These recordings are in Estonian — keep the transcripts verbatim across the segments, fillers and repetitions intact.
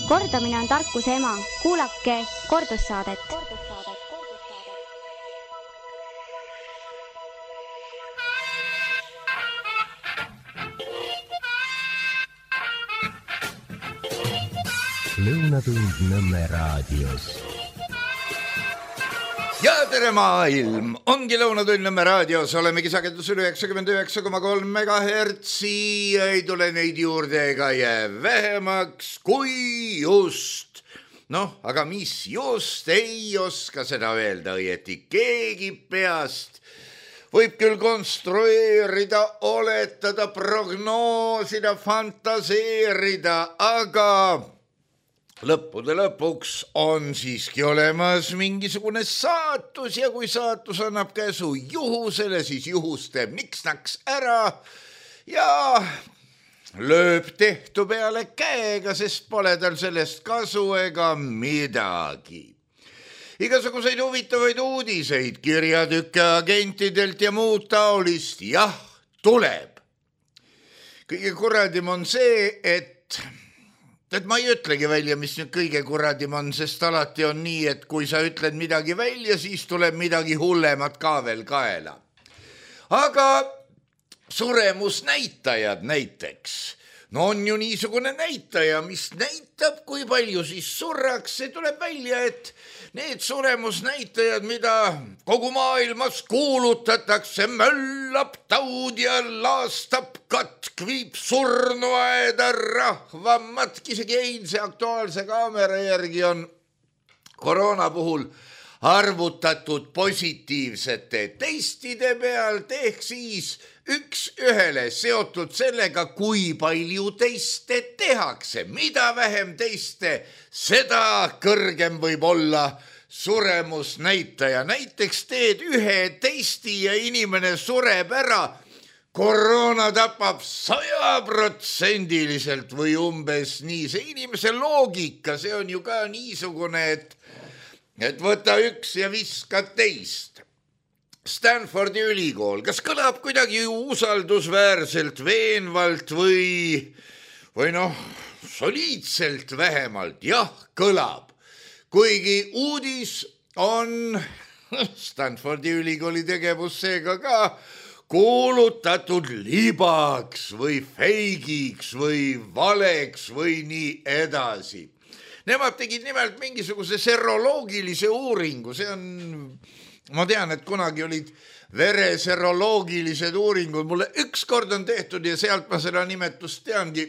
Kordamine on tarkuse ema. Kuulake kordussaadet. Lõunatund Nõmme raadios. Ja tere maailm, ongi Lõunatund Nõmme raadios, olemegi sagedusel üheksakümmend üheksa koma kolm megahertsi, ei tule neid juurde ega jää vähemaks kui just. Noh, aga mis just, ei oska seda öelda õieti keegi peast. Võib küll konstrueerida, oletada, prognoosida, fantaseerida, aga lõppude lõpuks on siiski olemas mingisugune saatus ja kui saatus annab käsu juhusele, siis juhus teeb niks-naks ära ja lööb tehtu peale käega, sest pole tal sellest kasu ega midagi. Igasuguseid huvitavaid uudiseid, kirjatükke agentidelt ja muud taolist, jah, tuleb. Kõige kuradim on see, et et ma ei ütlegi välja, mis nüüd kõige kuradim on, sest alati on nii, et kui sa ütled midagi välja, siis tuleb midagi hullemat ka veel kaela. Aga suremusnäitajad näiteks. No on ju niisugune näitaja, mis näitab, kui palju siis surraks. See tuleb välja, et need suremusnäitajad, mida kogu maailmas kuulutatakse, möllab taud ja laastab katk, viib surnuaeda rahvamatki. Isegi eilse Aktuaalse kaamera järgi on koroona puhul arvutatud positiivsete testide pealt, ehk siis üks ühele seotud sellega, kui palju teste tehakse. Mida vähem teste, seda kõrgem võib olla suremusnäitaja. Näiteks teed ühe testi ja inimene sureb ära, koroona tapab sajaprotsendiliselt või umbes nii. See inimese loogika, see on ju ka niisugune, et, et võta üks ja viska teist. Stanfordi ülikool, kas kõlab kuidagi usaldusväärselt, veenvalt või, või noh, soliidselt vähemalt? Jah, kõlab. Kuigi uudis on Stanfordi ülikooli tegevus seega ka kuulutatud libaks või feigiks või valeks või nii edasi. Nemad tegid nimelt mingisuguse seroloogilise uuringu, see on... Ma tean, et kunagi olid vereseroloogilised uuringud, mulle üks kord on tehtud ja sealt ma seda nimetust teangi.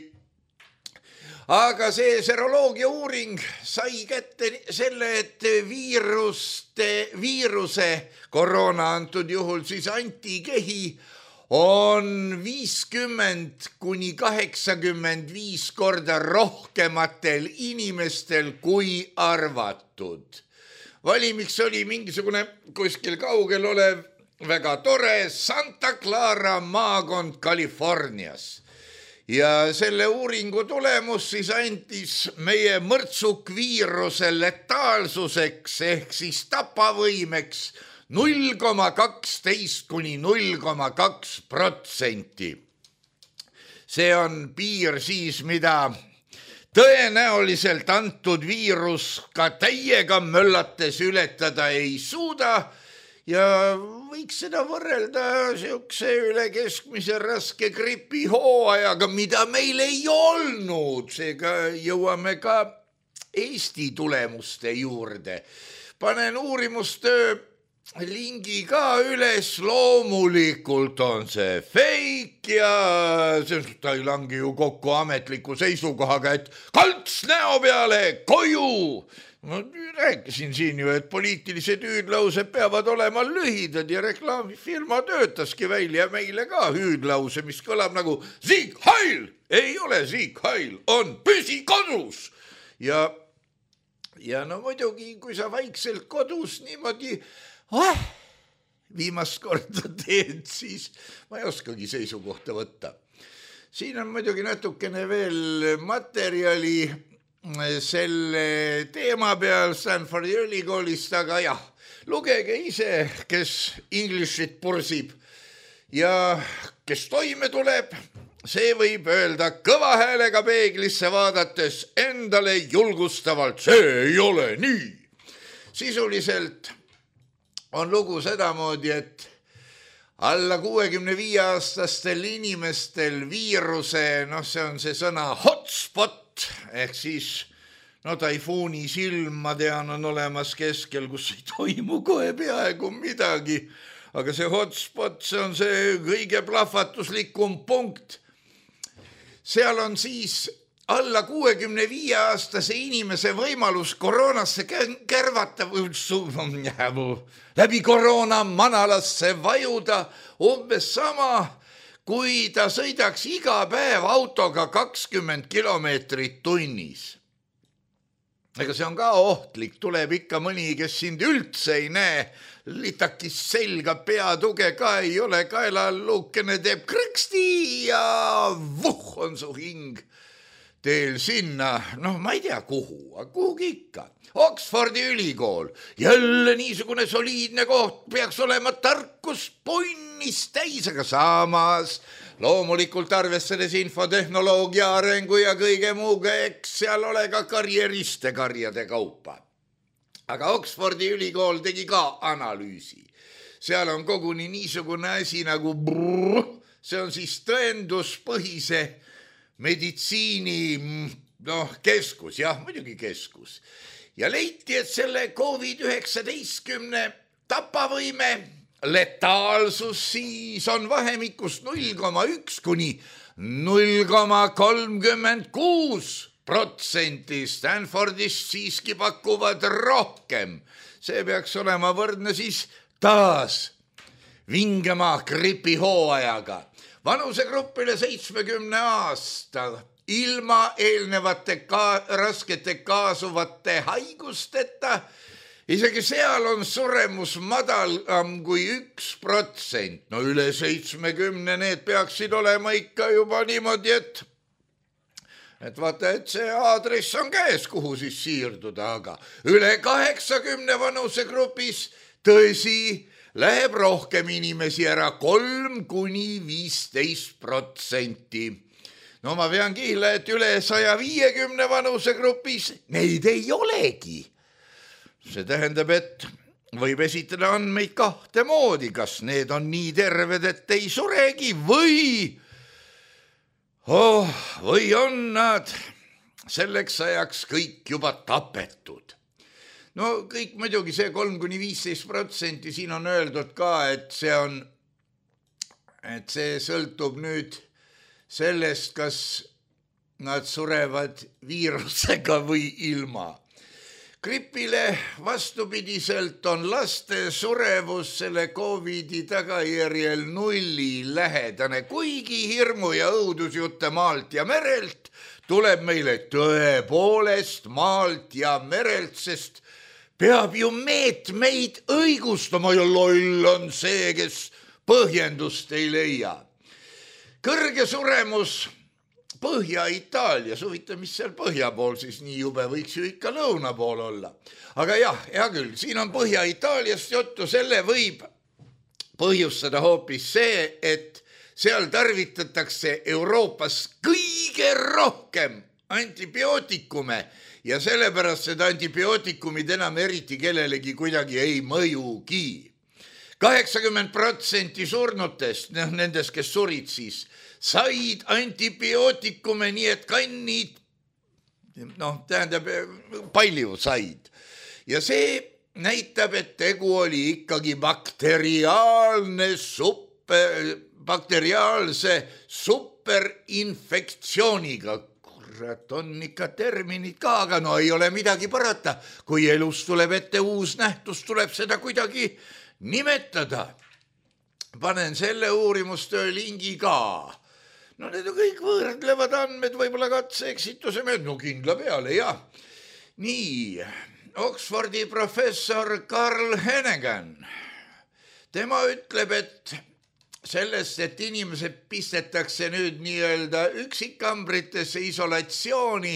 Aga see seroloogia uuring sai kätte selle, et viiruste, viiruse, koroona antud juhul siis antikehi, on viiskümmend kuni kaheksakümmend viis korda rohkematel inimestel kui arvatud. Valimiks oli mingisugune kuskil kaugel olev väga tore Santa Clara maakond Californias. Ja selle uuringu tulemus siis andis meie mõrtsukviiruse letaalsuseks ehk siis tapavõimeks null koma kaksteist kuni null koma kaks protsenti. See on piir siis, mida tõenäoliselt antud viirus ka täiega möllates ületada ei suuda ja võiks seda võrrelda siukse üle keskmise raske gripihooajaga, mida meil ei olnud. Seega jõuame ka Eesti tulemuste juurde. Panen uurimustöö lingi ka üles, loomulikult on see fake ja see, ta ei langi ju kokku ametliku seisukohaga, et kalts näo peale koju. Ma rääkisin siin ju, et poliitilised hüüdlaused peavad olema lühidad ja reklaamifirma töötaski välja meile ka hüüdlause, mis kõlab nagu Sieg Heil. Ei ole Sieg Heil, on püsi kodus. Ja, ja no muidugi, kui sa vaikselt kodus niimoodi Oh, viimast korda teed, siis ma ei oskagi seisukohta võtta. Siin on muidugi natukene veel materjali selle teema peal Stanfordi ülikoolist, aga jah, lugege ise, kes Englishit pursib ja kes toime tuleb, see võib öelda kõva häälega peeglisse vaadates endale julgustavalt, see ei ole nii. Sisuliselt on lugu sedamoodi, et alla kuuekümne viie aastastel inimestel viiruse, noh see on see sõna hotspot, ehk siis no taifuuni silm, ma tean, on olemas keskel, kus ei toimu kohe peaaegu midagi, aga see hotspot, see on see kõige plahvatuslikum punkt. Seal on siis alla kuuekümne viie aastase inimese võimalus koroonasse kärvata või läbi koroona manalasse vajuda umbes sama, kui ta sõidaks iga päev autoga kakskümmend kilomeetrit tunnis. Ega see on ka ohtlik, tuleb ikka mõni, kes sind üldse ei näe, litakis selga, peatuge ka ei ole, kaelaluukene teeb krõksti ja vuh on su hing teel sinna, noh ma ei tea kuhu, aga kuhugi ikka. Oxfordi ülikool, jälle niisugune soliidne koht, peaks olema tarkus punnis täis, aga samas loomulikult arvestades infotehnoloogia arengu ja kõige muuga, eks seal ole ka karjeriste karjade kaupa. Aga Oxfordi ülikool tegi ka analüüsi. Seal on koguni niisugune asi nagu brrr, see on siis tõenduspõhise meditsiini noh, keskus, jah, muidugi keskus. Ja leiti, et selle covid üheksateist tapavõime letaalsus siis on vahemikus null koma üks kuni null koma kolmkümmend kuus protsenti. Stanfordist siiski pakuvad rohkem. See peaks olema võrdne siis taas vingema gripihooajaga. Vanusegrupile seitsmekümne aasta ilma eelnevate ka, raskete kaasuvate haigusteta, isegi seal on suremus madalam kui üks protsent. No üle seitsmekümne need peaksid olema ikka juba niimoodi, et et vaata, et see aadress on käes, kuhu siis siirduda, aga üle kaheksakümne vanusegrupis tõsi, läheb rohkem inimesi ära, kolm kuni viisteist protsenti. No ma pean kihla, et üle saja viiekümne vanusegrupis neid ei olegi. See tähendab, et võib esitada andmeid kahte moodi, kas need on nii terved, et ei suregi või, oh, või on nad selleks ajaks kõik juba tapetud. No kõik muidugi see kolm kuni viisteist protsenti siin on öeldud ka, et see on, et see sõltub nüüd sellest, kas nad surevad viirusega või ilma. Gripile vastupidiselt on laste surevus selle covid'i tagajärjel nulli lähedane, kuigi hirmu ja õudusjutte maalt ja merelt tuleb meile tõepoolest maalt ja merelt, sest peab ju meetmeid õigustama ja loll on see, kes põhjendust ei leia. Kõrge suremus Põhja-Itaalias, huvitav, mis seal põhja pool siis nii jube, võiks ju ikka lõuna pool olla. Aga jah, hea küll, siin on Põhja-Itaaliast juttu, selle võib põhjustada hoopis see, et seal tarvitatakse Euroopas kõige rohkem antibiootikume ja sellepärast seda antibiootikumid enam eriti kellelegi kuidagi ei mõjugi. kaheksakümmend protsenti surnutest, nendest, kes surid siis, said antibiootikume, nii et kannid, noh, tähendab, palju said. Ja see näitab, et tegu oli ikkagi bakteriaalne super, bakteriaalse superinfektsiooniga. Kurat, on ikka terminid ka, aga no ei ole midagi parata. Kui elus tuleb ette uus nähtus, tuleb seda kuidagi nimetada. Panen selle uurimustöö lingi ka. No need on kõik võrdlevad andmed, võib-olla katse-eksituse meeld, no kindla peale, jah. Nii, Oxfordi professor Carl Hennigan, tema ütleb, et sellest, et inimesed pistetakse nüüd nii-öelda üksikambritesse isolatsiooni,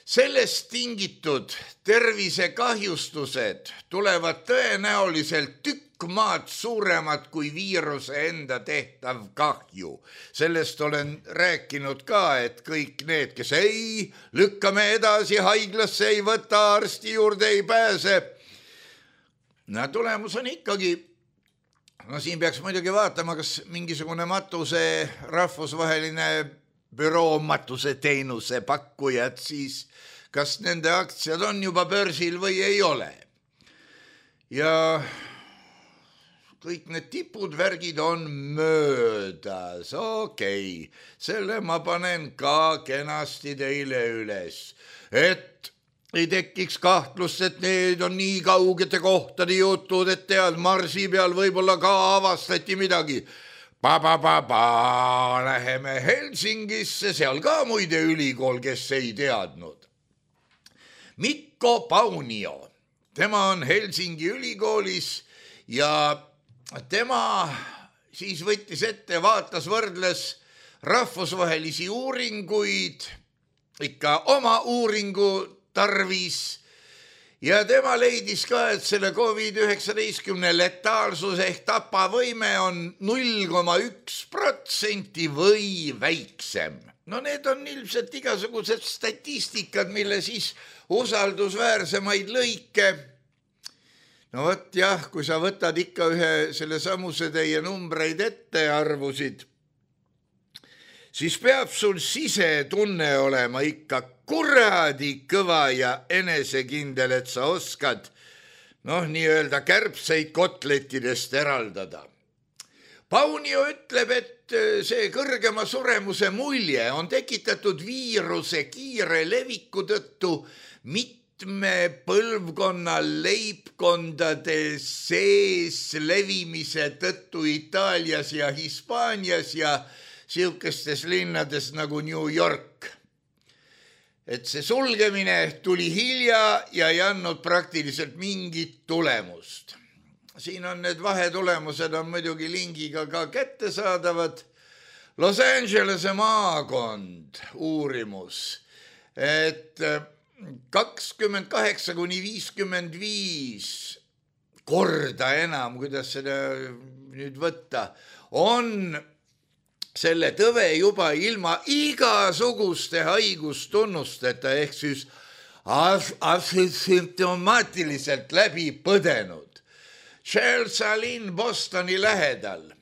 sellest tingitud tervisekahjustused tulevad tõenäoliselt tükk kõik maad suuremad kui viiruse enda tehtav kahju. Sellest olen rääkinud ka, et kõik need, kes ei lükkame edasi haiglasse, ei võta arsti juurde, ei pääse. No tulemus on ikkagi, no siin peaks muidugi vaatama, kas mingisugune matuse rahvusvaheline büroo matuse teenuse pakkujad, siis kas nende aktsiad on juba börsil või ei ole. Ja kõik need tipud, värgid on möödas, okei, okay. Selle ma panen ka kenasti teile üles, et ei tekiks kahtlust, et need on nii kaugete kohtade jutud, et tead, Marsi peal võib-olla ka avastati midagi. Pa-pa-pa-pa, läheme Helsingisse, seal ka muide ülikool, kes ei teadnud. Mikko Paunio, tema on Helsingi ülikoolis ja tema siis võttis ette, vaatas, võrdles rahvusvahelisi uuringuid, ikka oma uuringu tarvis ja tema leidis ka, et selle covid üheksateist letaalsus ehk tapavõime on null koma üks protsenti või väiksem. No need on ilmselt igasugused statistikad, mille siis usaldusväärsemaid lõike. No võt jah, kui sa võtad ikka ühe selle samuse teie numbreid ette arvusid, siis peab sul sisetunne olema ikka kuradi kõva ja enesekindel, et sa oskad noh, nii-öelda kärbseid kotletidest eraldada. Paunio ütleb, et see kõrgema suremuse mulje on tekitatud viiruse kiire leviku tõttu mitme põlvkonna leibkondade sees levimise tõttu Itaalias ja Hispaanias ja siukestes linnades nagu New York. Et see sulgemine tuli hilja ja ei andnud praktiliselt mingit tulemust. Siin on need vahetulemused on muidugi lingiga ka kättesaadavad. Los Angelese maakond uurimus, et kakskümmend kaheksa kuni viiskümmend viis korda enam, kuidas seda nüüd võtta, on selle tõve juba ilma igasuguste haigustunnusteta ehk siis asümptomaatiliselt läbi põdenud. Chelsea linn Bostoni lähedal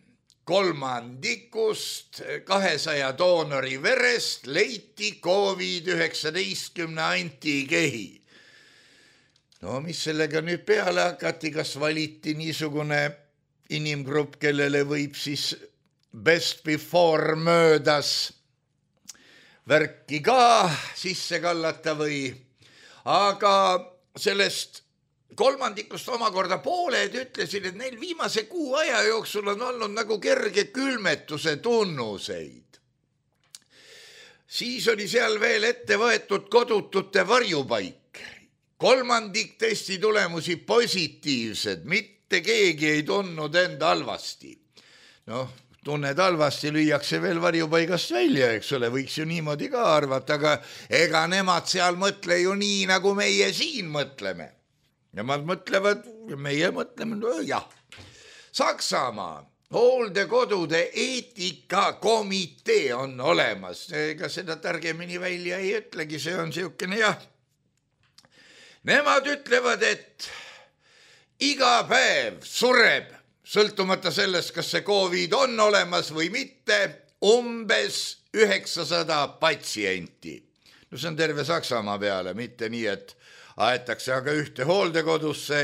kolmandikust kahesaja doonori verest leiti covid üheksateist antikehi. No mis sellega nüüd peale hakati, kas valiti niisugune inimgrupp, kellele võib siis best before möödas värki ka sisse kallata või, aga sellest kolmandikust omakorda pooled ütlesid, et neil viimase kuu aja jooksul on olnud nagu kerge külmetuse tunnuseid. Siis oli seal veel ette võetud kodutute varjupaik. Kolmandik testi tulemusi positiivsed, mitte keegi ei tundnud enda halvasti. Noh, tunned halvasti, lüüakse veel varjupaigast välja, eks ole, võiks ju niimoodi ka arvata, aga ega nemad seal mõtle ju nii, nagu meie siin mõtleme. Nemad mõtlevad, meie mõtleme, no jah. Saksamaa hooldekodude eetikakomitee on olemas. Ega seda targemini välja ei ütlegi, see on siukene jah. Nemad ütlevad, et iga päev sureb, sõltumata sellest, kas see COVID on olemas või mitte, umbes üheksasada patsienti. No see on terve Saksamaa peale, mitte nii, et aetakse aga ühte hooldekodusse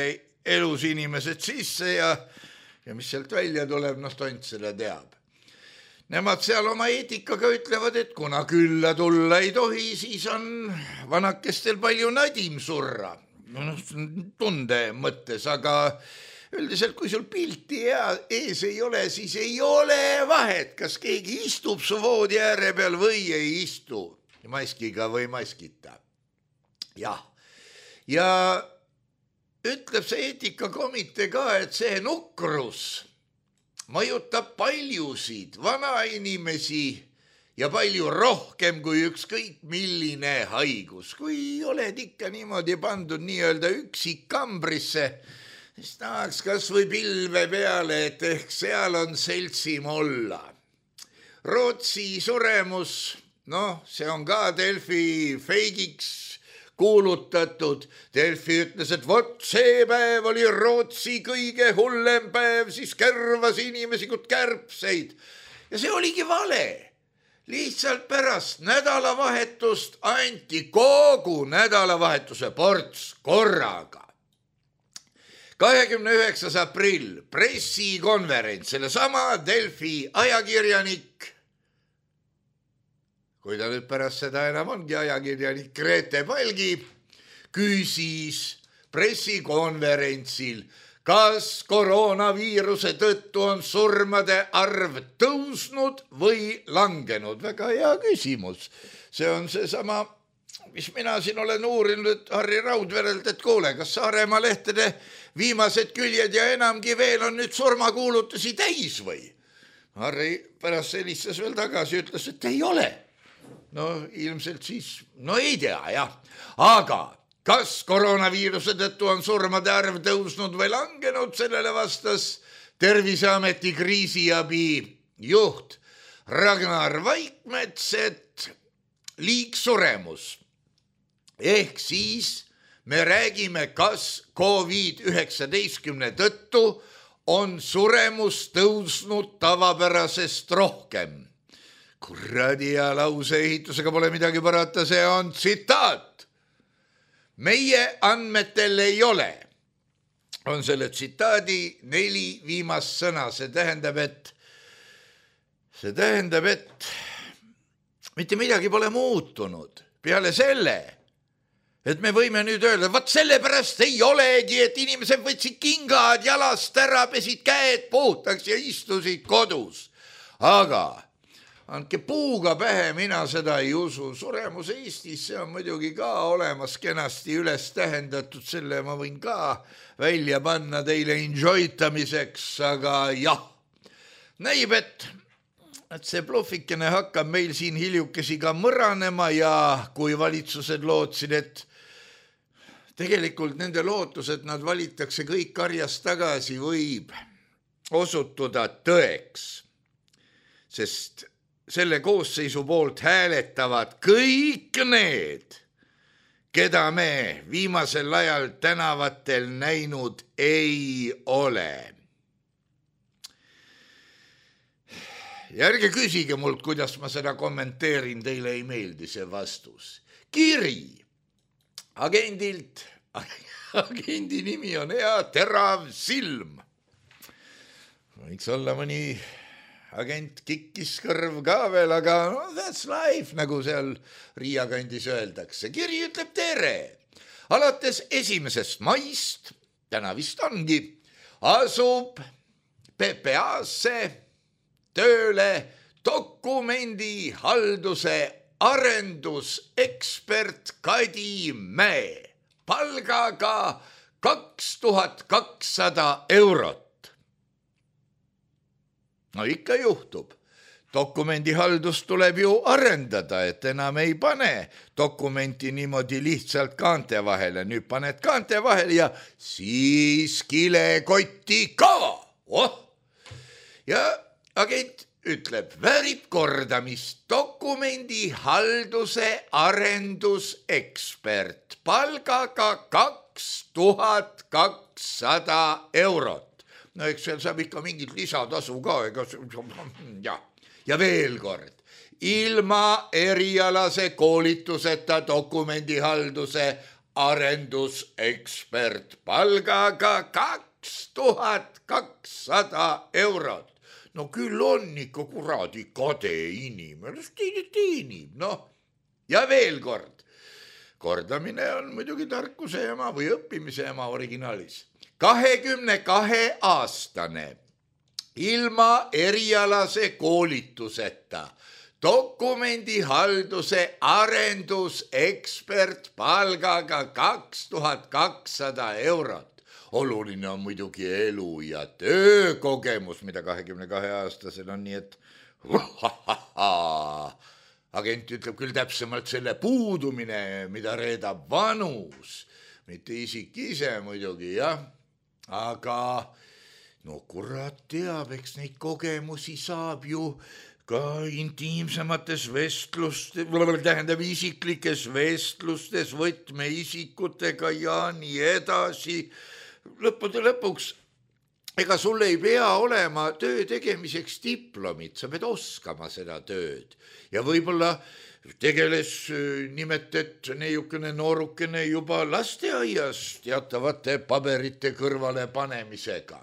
elus inimesed sisse ja, ja mis sealt välja tuleb, noh tont seda teab. Nemad seal oma eetikaga ütlevad, et kuna külla tulla ei tohi, siis on vanakestel palju nadim surra. No, tunde mõttes, aga üldiselt kui sul pilti ees ei ole, siis ei ole vahet, kas keegi istub su voodi ääre peal või ei istu maskiga või maskita. Jah. Ja ütleb see eetikakomitee ka, et see nukrus mõjutab paljusid vanainimesi ja palju rohkem kui ükskõik milline haigus. Kui oled ikka niimoodi pandud nii-öelda üksik kambrisse, siis tahaks kas või pilve peale, et ehk seal on seltsim olla. Rootsi suremus, noh, see on ka Delfi feigiks kuulutatud. Delfi ütles, et vot see päev oli Rootsi kõige hullem päev, siis kärvas inimesi kui kärbseid. Ja see oligi vale. Lihtsalt pärast nädalavahetust anti kogu nädalavahetuse ports korraga. kahekümne üheksas aprill pressikonverents, selle sama Delfi ajakirjanik, kui ta nüüd pärast seda enam ongi ajakirjanik Grete Palgi, küsis pressikonverentsil, kas koroonaviiruse tõttu on surmade arv tõusnud või langenud. Väga hea küsimus. See on see sama, mis mina siin olen uurinud Harri Raudverelt, et kuule, kas Saaremaa lehtede viimased küljed ja enamgi veel on nüüd surmakuulutusi täis või? Harri pärast helistas veel tagasi, ütles, et ei ole. No ilmselt siis, no ei tea, jah. Aga kas koroonaviiruse tõttu on surmade arv tõusnud või langenud, sellele vastas Terviseameti kriisiabi juht Ragnar Vaikmets, et liigsuremus. Ehk siis me räägime, kas koovid üheksateistkümne tõttu on suremus tõusnud tavapärasest rohkem. Kuradi ja lauseehitusega pole midagi parata, see on tsitaat. Meie andmetel ei ole. On selle tsitaadi neli viimast sõna. See tähendab, et see tähendab, et mitte midagi pole muutunud. Peale selle, et me võime nüüd öelda, vaat sellepärast ei olegi, et inimesed võtsid kingad jalast ära, pesid käed puhtaks ja istusid kodus. Aga andke puuga pähe, mina seda ei usu. Suremus Eestis, see on muidugi ka olemas kenasti üles tähendatud, selle ma võin ka välja panna teile enjoytamiseks, aga jah, näib, et et see blufikene hakkab meil siin hiljukesi ka mõranema ja kui valitsused lootsid, et tegelikult nende lootus, et nad valitakse kõik karjast tagasi, võib osutuda tõeks, sest selle koosseisu poolt hääletavad kõik need, keda me viimasel ajal tänavatel näinud ei ole. Ja ärge küsige mult, kuidas ma seda kommenteerin, teile ei meeldi see vastus. Kiri agendilt, agendi nimi on hea, terav silm. Võiks olla mõni agent Kikiskõrv ka veel, aga no, that's life, nagu seal Riia kandis öeldakse. Kiri ütleb tere. Alates esimesest maist, täna vist ongi, asub P P A-sse tööle dokumendi halduse arendusekspert Kadi Mäe palgaga kaks tuhat kakssada eurot. No ikka juhtub. Dokumendi haldust tuleb ju arendada, et enam ei pane dokumenti niimoodi lihtsalt kaante vahele. Nüüd paned kaante vahele ja siis kilekotti ka. Oh! Ja agent ütleb, väärib kordamist, dokumendi halduse arendusekspert palgaga kaks tuhat kakssada eurot. No eks seal saab ikka mingit lisatasu ka. Ega... Ja. ja veel kord, ilma erialase koolituseta dokumendi halduse arendusekspert palgaga kaks tuhat kakssada eurot. No küll on ikka kuradi kade inimene, teenib, noh. Ja veel kord, kordamine on muidugi tarkuse ema või õppimise ema originaalis. kahekümne kahe aastane ilma erialase koolituseta dokumendi halduse arendusekspert palgaga kaks tuhat kakssada eurot. Oluline on muidugi elu ja töökogemus, mida kahekümne kahe aastasel on, nii et agent ütleb küll täpsemalt selle puudumine, mida reedab vanus, mitte isik ise muidugi, jah. aga no kurat teab, eks neid kogemusi saab ju ka intiimsemates vestlustes, tähendab isiklikes vestlustes võtmeisikutega ja nii edasi. Lõppude lõpuks, ega sul ei pea olema töö tegemiseks diplomit, sa pead oskama seda tööd. Ja võib-olla tegeles nimet, et neiukene noorukene juba lasteaias teatavate paberite kõrvale panemisega.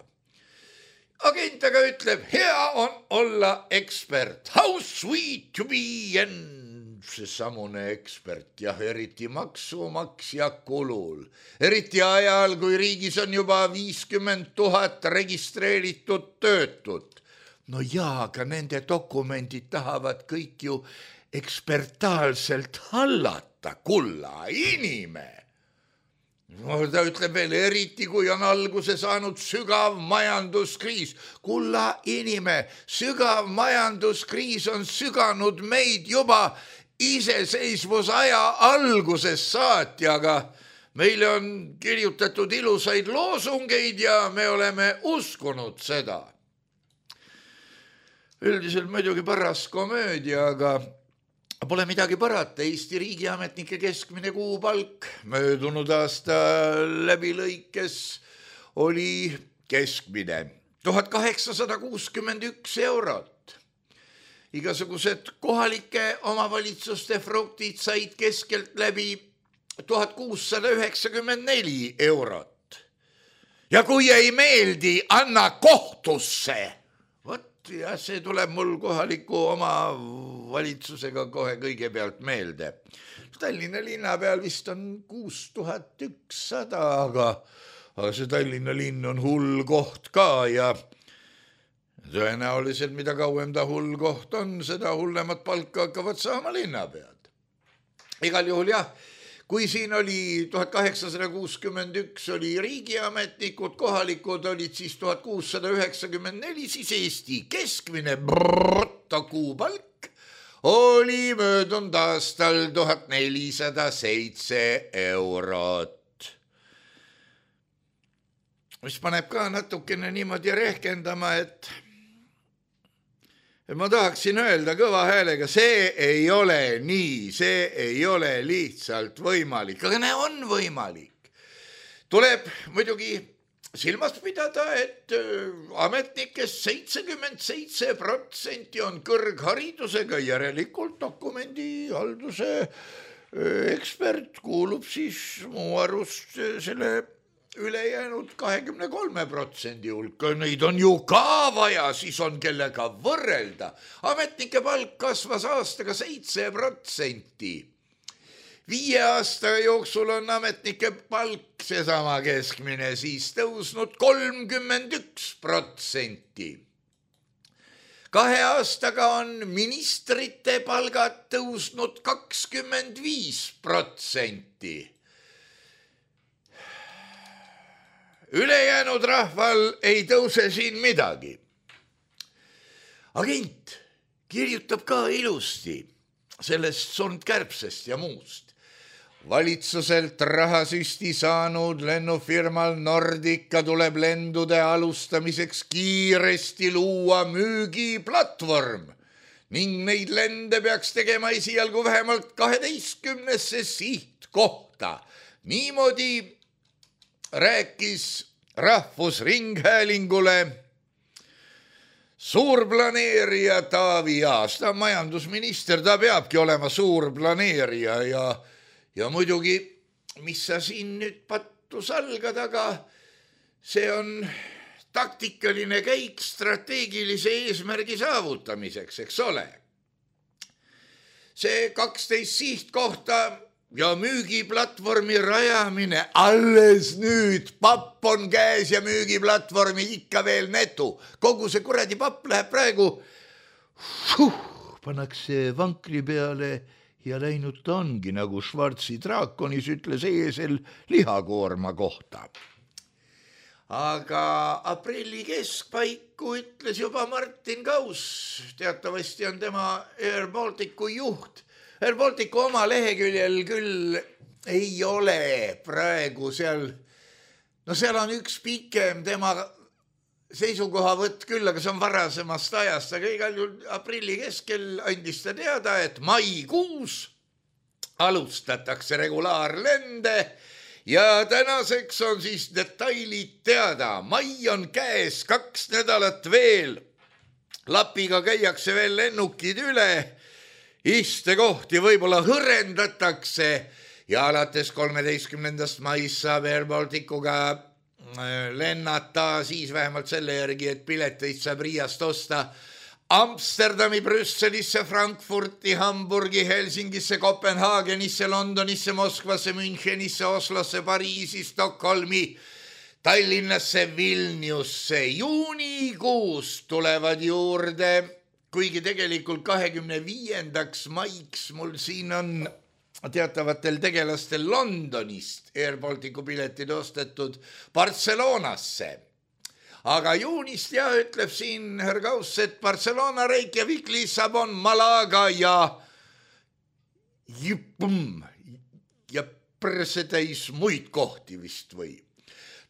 Agent aga ütleb, hea on olla ekspert. How sweet to be and see samune ekspert, jah, eriti maksumaksja kulul. Eriti ajal, kui riigis on juba viiskümmend tuhat registreeritud töötut. No jaa, aga nende dokumendid tahavad kõik ju ekspertaalselt hallata, kulla inime. No, ta ütleb veel, eriti kui on alguse saanud sügav majanduskriis. Kulla inime, sügav majanduskriis on süganud meid juba iseseisvusaja alguses saati, aga meile on kirjutatud ilusaid loosungeid ja me oleme uskunud seda. Üldiselt muidugi paras komöödia, aga pole midagi parata, Eesti riigiametnike keskmine kuupalk möödunud aasta läbilõikes oli keskmine tuhat kaheksasada kuuskümmend üks eurot. Igasugused kohalike omavalitsuste fruktid said keskelt läbi tuhat kuussada üheksakümmend neli eurot. Ja kui ei meeldi, anna kohtusse. Vot ja see tuleb mul kohaliku oma valitsusega kohe kõigepealt meelde. Tallinna linna peal vist on kuus tuhat ükssada, aga, aga see Tallinna linn on hull koht ka ja tõenäoliselt mida kauem ta hull koht on, seda hullemat palka hakkavad saama linnapead. Igal juhul jah, kui siin oli tuhat kaheksasada kuuskümmend üks oli riigiametnikud, kohalikud olid siis tuhat kuussada üheksakümmend neli, siis Eesti keskmine brutto kuupalk oli möödunud aastal tuhat nelisada seitse eurot. Mis paneb ka natukene niimoodi rehkendama, et ma tahaksin öelda kõva häälega, see ei ole nii, see ei ole lihtsalt võimalik, aga näe, on võimalik. Tuleb muidugi silmas pidada, et ametnikest seitsekümmend seitse protsenti on kõrgharidusega, järelikult dokumendihalduse ekspert kuulub siis mu arust selle ülejäänud kahekümne kolme protsendi hulka. Neid on ju ka vaja, siis on kellega võrrelda. Ametnike palk kasvas aastaga seitse protsenti. Viie aasta jooksul on ametnike palk, seesama keskmine, siis tõusnud kolmkümmend üks protsenti. Kahe aastaga on ministrite palgad tõusnud kakskümmend viis protsenti. Ülejäänud rahval ei tõuse siin midagi. Agent kirjutab ka ilusti sellest Sundkärbsest ja muust. Valitsuselt rahasüsti saanud lennufirmal Nordica tuleb lendude alustamiseks kiiresti luua müügiplatvorm ning neid lende peaks tegema esialgu vähemalt kaheteistkümnesse sihtkohta. Niimoodi rääkis Rahvusringhäälingule suurplaneerija Taavi Aas. Ta majandusminister, ta peabki olema suurplaneerija ja, ja muidugi, mis sa siin nüüd pattu salgad, aga see on taktikaline käik strateegilise eesmärgi saavutamiseks, eks ole. See kaksteist sihtkohta ja müügiplatvormi rajamine, alles nüüd papp on käes ja müügiplatvormi ikka veel netu. Kogu see kuradi papp läheb praegu, fuh, pannakse vankri peale ja läinud ta ongi, nagu Schwarzi draakonis ütles eesel lihakoorma kohta. Aga aprilli keskpaiku ütles juba Martin Kaus, teatavasti on tema Air Balticu juht. Air Balticu oma leheküljel küll ei ole praegu seal no seal on üks pikem tema seisukohavõtt küll, aga see on varasemast ajast, aga igal juhul aprilli keskel andis ta teada, et maikuus alustatakse regulaarlende ja tänaseks on siis detailid teada. Mai on käes, kaks nädalat veel. Lapiga käiakse veel lennukid üle, istekohti võib-olla hõrendatakse ja alates kolmeteistkümnendast maist saab Air Balticuga lennata siis vähemalt selle järgi, et pileteid saab Riiast osta Amsterdami, Brüsselisse, Frankfurti, Hamburgi, Helsingisse, Kopenhaagenisse, Londonisse, Moskvasse, Münchenisse, Oslosse, Pariisi, Stockholmi, Tallinnasse, Vilniusse. Juunikuus tulevad juurde, kuigi tegelikult kahekümne viiendaks maiks mul siin on teatavatel tegelastel Londonist Air Balticu piletid ostetud Barcelonasse. Aga juunist ja ütleb siin härra Kauss, et Barcelona, Reykjavik, Lissabon, Malaga ja Jüpum ja persetäis muid kohti vist või.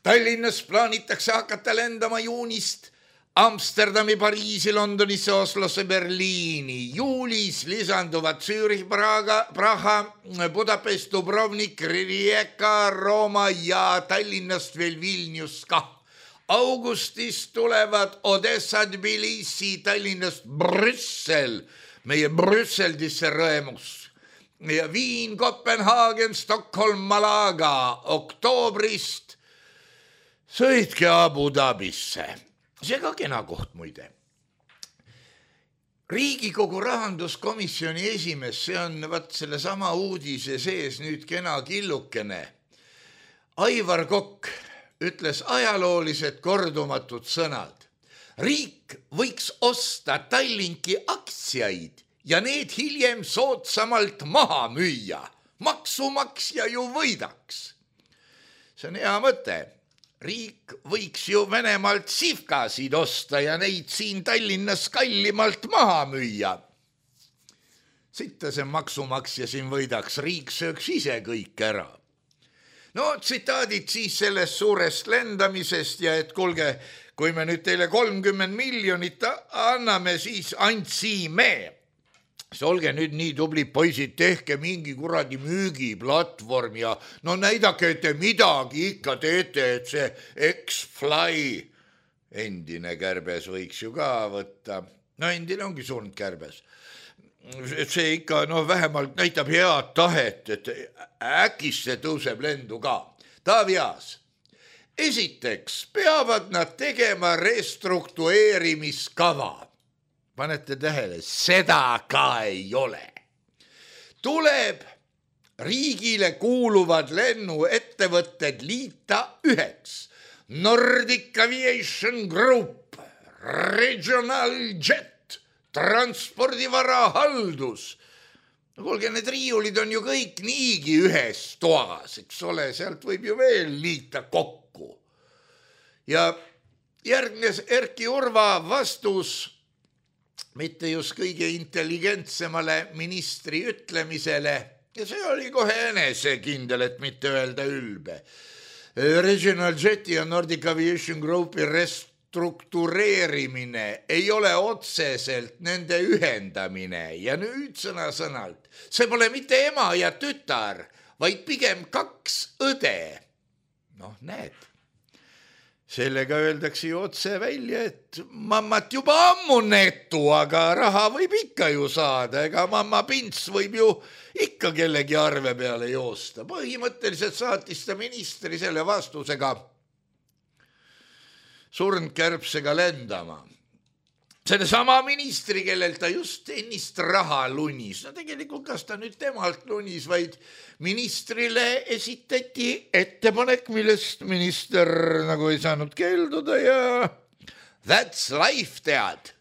Tallinnas plaanitakse hakata lendama juunist Amsterdami, Pariisi, Londonisse, Oslosse, Berliini. Juulis lisanduvad Zürich, Praga, Praha, Budapest, Dubrovnik, Rijeka, Rooma ja Tallinnast veel Vilnius ka. Augustis tulevad Odessa, Tbilisi, Tallinnast Brüssel, meie Brüsseldisse rõemus. Ja Viin, Kopenhaagen, Stockholm, Malaga. Oktoobrist sõitke Abu Dhabisse. See ka kena koht muide. Riigikogu rahanduskomisjoni esimees, see on vaat selle sama uudise sees nüüd kena killukene. Aivar Kokk ütles ajaloolised kordumatud sõnad. Riik võiks osta Tallinki aktsiaid ja need hiljem soodsamalt maha müüa. Maksumaksja ju võidaks. See on hea mõte. Riik võiks ju Venemaalt sivkasid osta ja neid siin Tallinnas kallimalt maha müüa. Sitta see maksumaksja siin võidaks, riik sööks ise kõik ära. No tsitaadid siis sellest suurest lendamisest ja et kulge, kui me nüüd teile kolmkümmend miljonit anname, siis andsime. See olge nüüd nii tubli poisid, tehke mingi kuradi müügiplatvorm ja no näidake, et te midagi ikka teete, et see X-Fly, endine kärbes võiks ju ka võtta. No endine ongi surnud kärbes. Et see ikka no vähemalt näitab head tahet, et äkis see tõuseb lendu ka. Taavi Aas. Esiteks peavad nad tegema restruktueerimiskava. Panete tähele, seda ka ei ole. Tuleb riigile kuuluvad lennuettevõtted liita üheks. Nordic Aviation Group, Regional Jet, Transpordivara Haldus. No kuulge, need riiulid on ju kõik niigi ühes toas, eks ole, sealt võib ju veel liita kokku. Ja järgnes Erki Urva vastus mitte just kõige intelligentsemale ministri ütlemisele ja see oli kohe enesekindel, et mitte öelda ülbe. Regional Jeti ja Nordic Aviation Groupi restruktureerimine ei ole otseselt nende ühendamine ja nüüd sõna-sõnalt. See pole mitte ema ja tütar, vaid pigem kaks õde. Noh, näed. Sellega öeldakse ju otse välja, et mammat juba ammu netu, aga raha võib ikka ju saada, ega mamma Pints võib ju ikka kellegi arve peale joosta. Põhimõtteliselt saatis ta ministri selle vastusega surnud kärbsega lendama. Selle sama ministri, kellel ta just ennist raha lunis. No tegelikult kas ta nüüd temalt lunis, vaid ministrile esitati ettepanek, millest minister nagu ei saanud keelduda ja that's life, tead.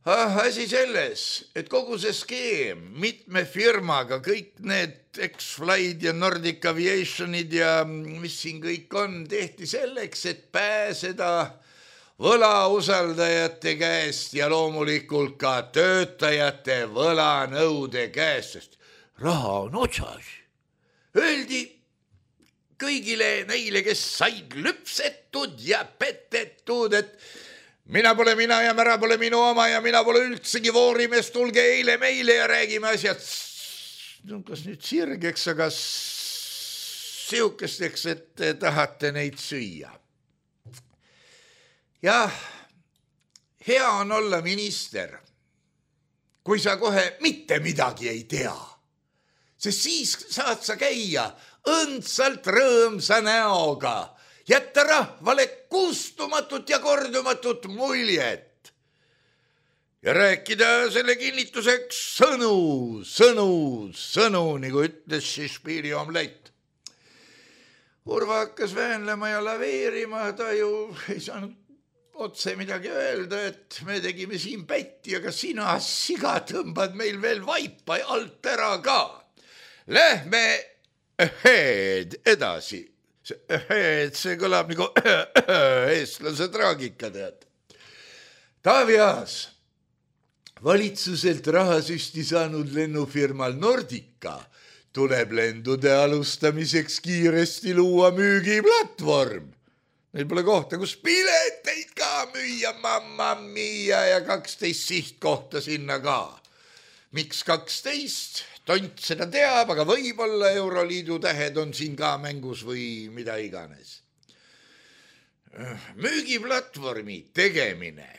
Ah, asi selles, et kogu see skeem mitme firmaga, kõik need X-Fly'd ja Nordic Aviation'id ja mis siin kõik on, tehti selleks, et pääseda võlausaldajate käest ja loomulikult ka töötajate võlanõude käest, sest raha on otsas. Öeldi kõigile neile, kes said lüpsetud ja petetud, et mina pole mina ja mära pole minu oma ja mina pole üldsegi voorimees, tulge eile meile ja räägime asjad, no kas nüüd sirgeks, aga siukesteks, et te tahate neid süüa. Jah, hea on olla minister, kui sa kohe mitte midagi ei tea, sest siis saad sa käia õndsalt rõõmsa näoga, jätta rahvale kustumatut ja kordumatut muljet ja rääkida selle kinnituseks sõnu, sõnu, sõnu, nagu ütles Shakespeare'i omlett. Urva hakkas väänlema ja laveerima, ta ju ei saanud otse midagi öelda, et me tegime siin pätti, aga sina siga tõmbad meil veel vaipa alt ära ka. Lähme heed edasi. See, see kõlab nagu eestlase traagika, tead. Taavi Aas, valitsuselt rahasüsti saanud lennufirmal Nordica tuleb lendude alustamiseks kiiresti luua müügiplatvorm. Neil pole kohta, kus pileteid ka müüa, mamma mia, ja kaksteist sihtkohta sinna ka. Miks kaksteist? Tont seda teab, aga võib-olla Euroliidu tähed on siin ka mängus või mida iganes. Müügiplatvormi tegemine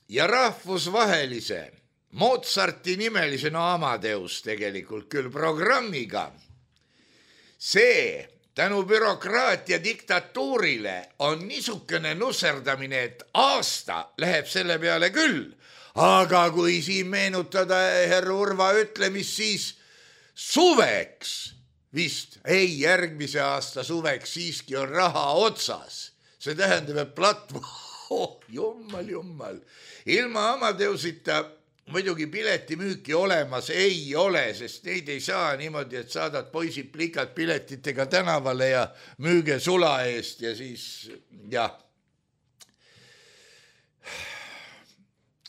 ja rahvusvahelise Mozarti nimelise, no Amadeus tegelikult küll programmiga, see tänu bürokraatia diktatuurile on niisugune nusserdamine, et aasta läheb selle peale küll. Aga kui siin meenutada herr Urva ütlemist, siis suveks, vist ei järgmise aasta suveks siiski on raha otsas. See tähendab, et platvorm, oh, jummal, jummal. Ilma Amadeusita muidugi piletimüüki olemas ei ole, sest neid ei saa niimoodi, et saadad poisid plikad piletitega tänavale ja müüge sula eest ja siis, jah.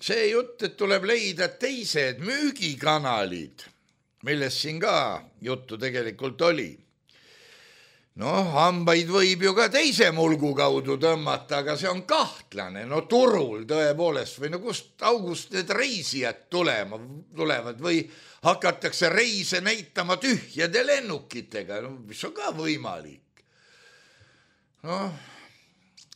See jutt, et tuleb leida teised müügikanalid, millest siin ka juttu tegelikult oli. No, hambaid võib ju ka teise mulgu kaudu tõmmata, aga see on kahtlane. No turul tõepoolest või no kust august need reisijad tulema, tulevad või hakatakse reise näitama tühjade lennukitega, no, mis on ka võimalik. Noh,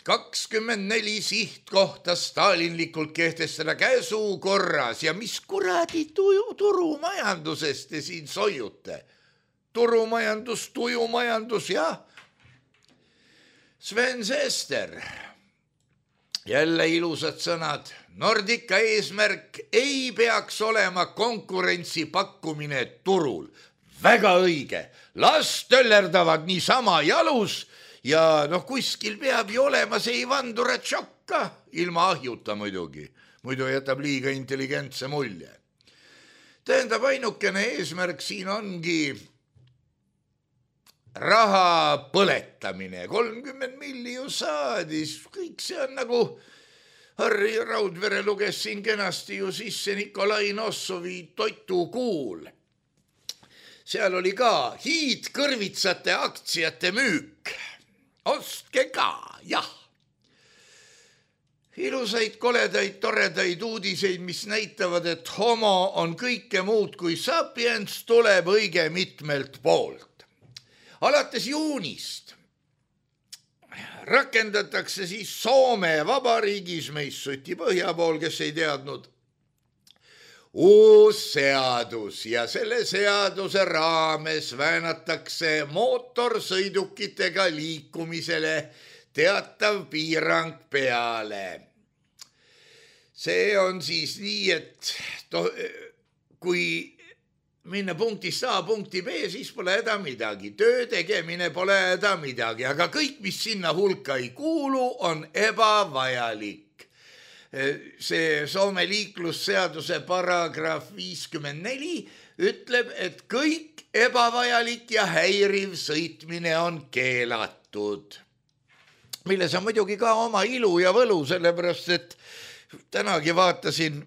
kakskümmend neli sihtkohta stalinlikult kehtestada käsu korras ja mis kuradi tuju, turumajandusest te siin soiute? Turumajandus, tujumajandus, jah. Sven Sester, jälle ilusad sõnad. Nordica eesmärk ei peaks olema konkurentsi pakkumine turul. Väga õige. Las töllerdavad niisama jalus. Ja noh, kuskil peab ju olema see Ivandura tšokka, ilma ahjuta muidugi, muidu jätab liiga intelligentse mulje. Tähendab, ainukene eesmärk siin ongi raha põletamine, kolmkümmend milli ju saadis, kõik see on nagu Harri Raudvere luges siin kenasti ju sisse Nikolai Nossovi toitukuul. Seal oli ka hiidkõrvitsate aktsiate müük. Ostke ka, jah. Ilusaid, koledaid, toredaid uudiseid, mis näitavad, et homo on kõike muud kui sapiens, tuleb õige mitmelt poolt. Alates juunist rakendatakse siis Soome vabariigis, meist Suti põhja pool, kes ei teadnud, uus seadus ja selle seaduse raames väänatakse mootorsõidukitega liikumisele teatav piirang peale. See on siis nii, et to, kui minna punktist A punkti B, siis pole häda midagi. Töö tegemine pole häda midagi, aga kõik, mis sinna hulka ei kuulu, on ebavajalik. See Soome liiklusseaduse paragrahv viiskümmend neli ütleb, et kõik ebavajalik ja häiriv sõitmine on keelatud. Milles on muidugi ka oma ilu ja võlu, sellepärast, et tänagi vaatasin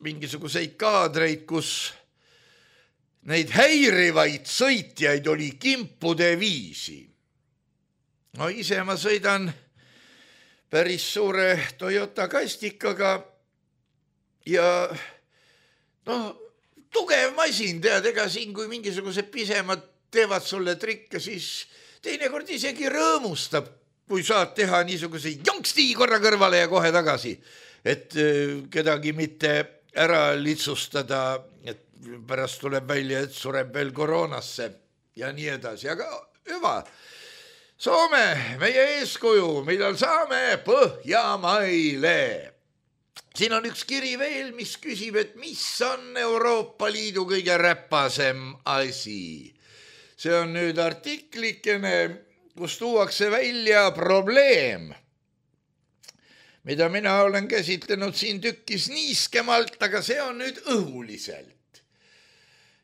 mingisuguseid kaadreid, kus neid häirivaid sõitjaid oli kimpude viisi. no ise ma sõidan päris suure Toyota kastikaga ja noh, tugev masin, tead, ega siin, kui mingisugused pisemad teevad sulle trikke, siis teinekord isegi rõõmustab, kui saad teha niisuguse jonksti korra kõrvale ja kohe tagasi, et kedagi mitte ära litsustada, et pärast tuleb välja, et sureb veel koroonasse ja nii edasi, aga hüva. Soome, meie eeskuju, millal saame Põhjamaile. Siin on üks kiri veel, mis küsib, et mis on Euroopa Liidu kõige räpasem asi. See on nüüd artiklikene, kus tuuakse välja probleem, mida mina olen käsitlenud siin tükkis niiskemalt, aga see on nüüd õhuliselt.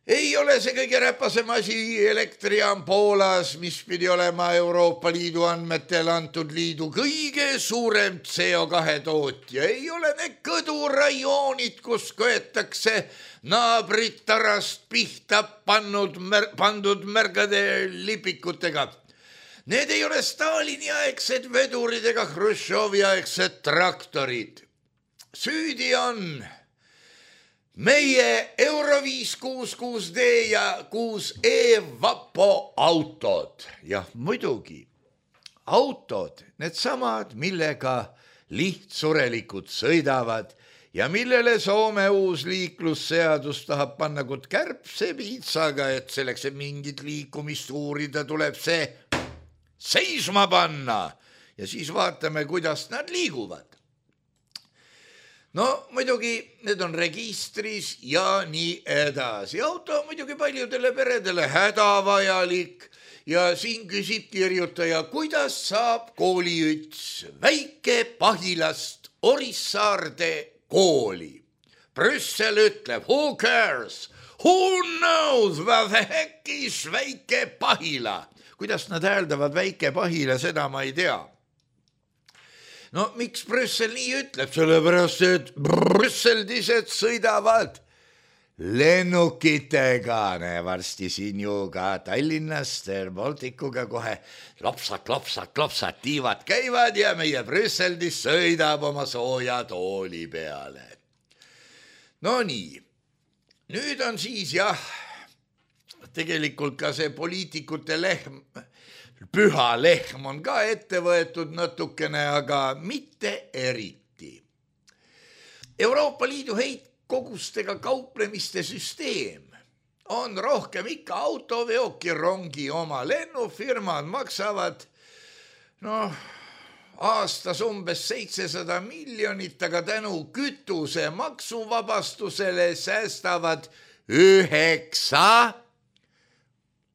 Ei ole see kõige räpasem asi, elektrijaam Poolas, mis pidi olema Euroopa Liidu andmetel antud liidu kõige suurem C O kahe tootja. Ei ole need kõdurajoonid, kus köetakse naabrit tarast pihta pannud, mer- pandud märgade lipikutega. Need ei ole Stalini aegsed vedurid ega Hruštšovi aegsed traktorid. Süüdi on meie Euro viis kuus kuus D ja kuus E vapo autod. Jah, muidugi. Autod, need samad, millega lihtsurelikud sõidavad ja millele Soome uus liiklusseadus tahab panna kut kärbse piitsaga, et selleks, et mingit liikumist uurida, tuleb see seisma panna ja siis vaatame, kuidas nad liiguvad. No muidugi need on registris ja nii edasi. Auto on muidugi paljudele peredele hädavajalik ja siin küsib kirjutaja, kuidas saab kooliüts väike Pahilast Orissaarde kooli. Brüssel ütleb, who cares? Who knows what the heck is väike Pahila? Kuidas nad hääldavad väike Pahila, seda ma ei tea. No miks Brüssel nii ütleb? Sellepärast, et brüsseldised sõidavad lennukitega. Varsti siin ju ka Tallinnast Baltikuga kohe lopsad, lopsad, lopsad tiivad käivad ja meie Brüsseldis sõidab oma sooja tooli peale. No nii, nüüd on siis jah, tegelikult ka see poliitikute lehm, püha lehm on ka ette võetud natukene, aga mitte eriti. Euroopa Liidu heitkogustega kauplemiste süsteem on rohkem ikka autoveoki rongi oma. Lennufirmad maksavad noh, aastas umbes seitsesada miljonit, aga tänu kütuse maksuvabastusele säästavad üheksa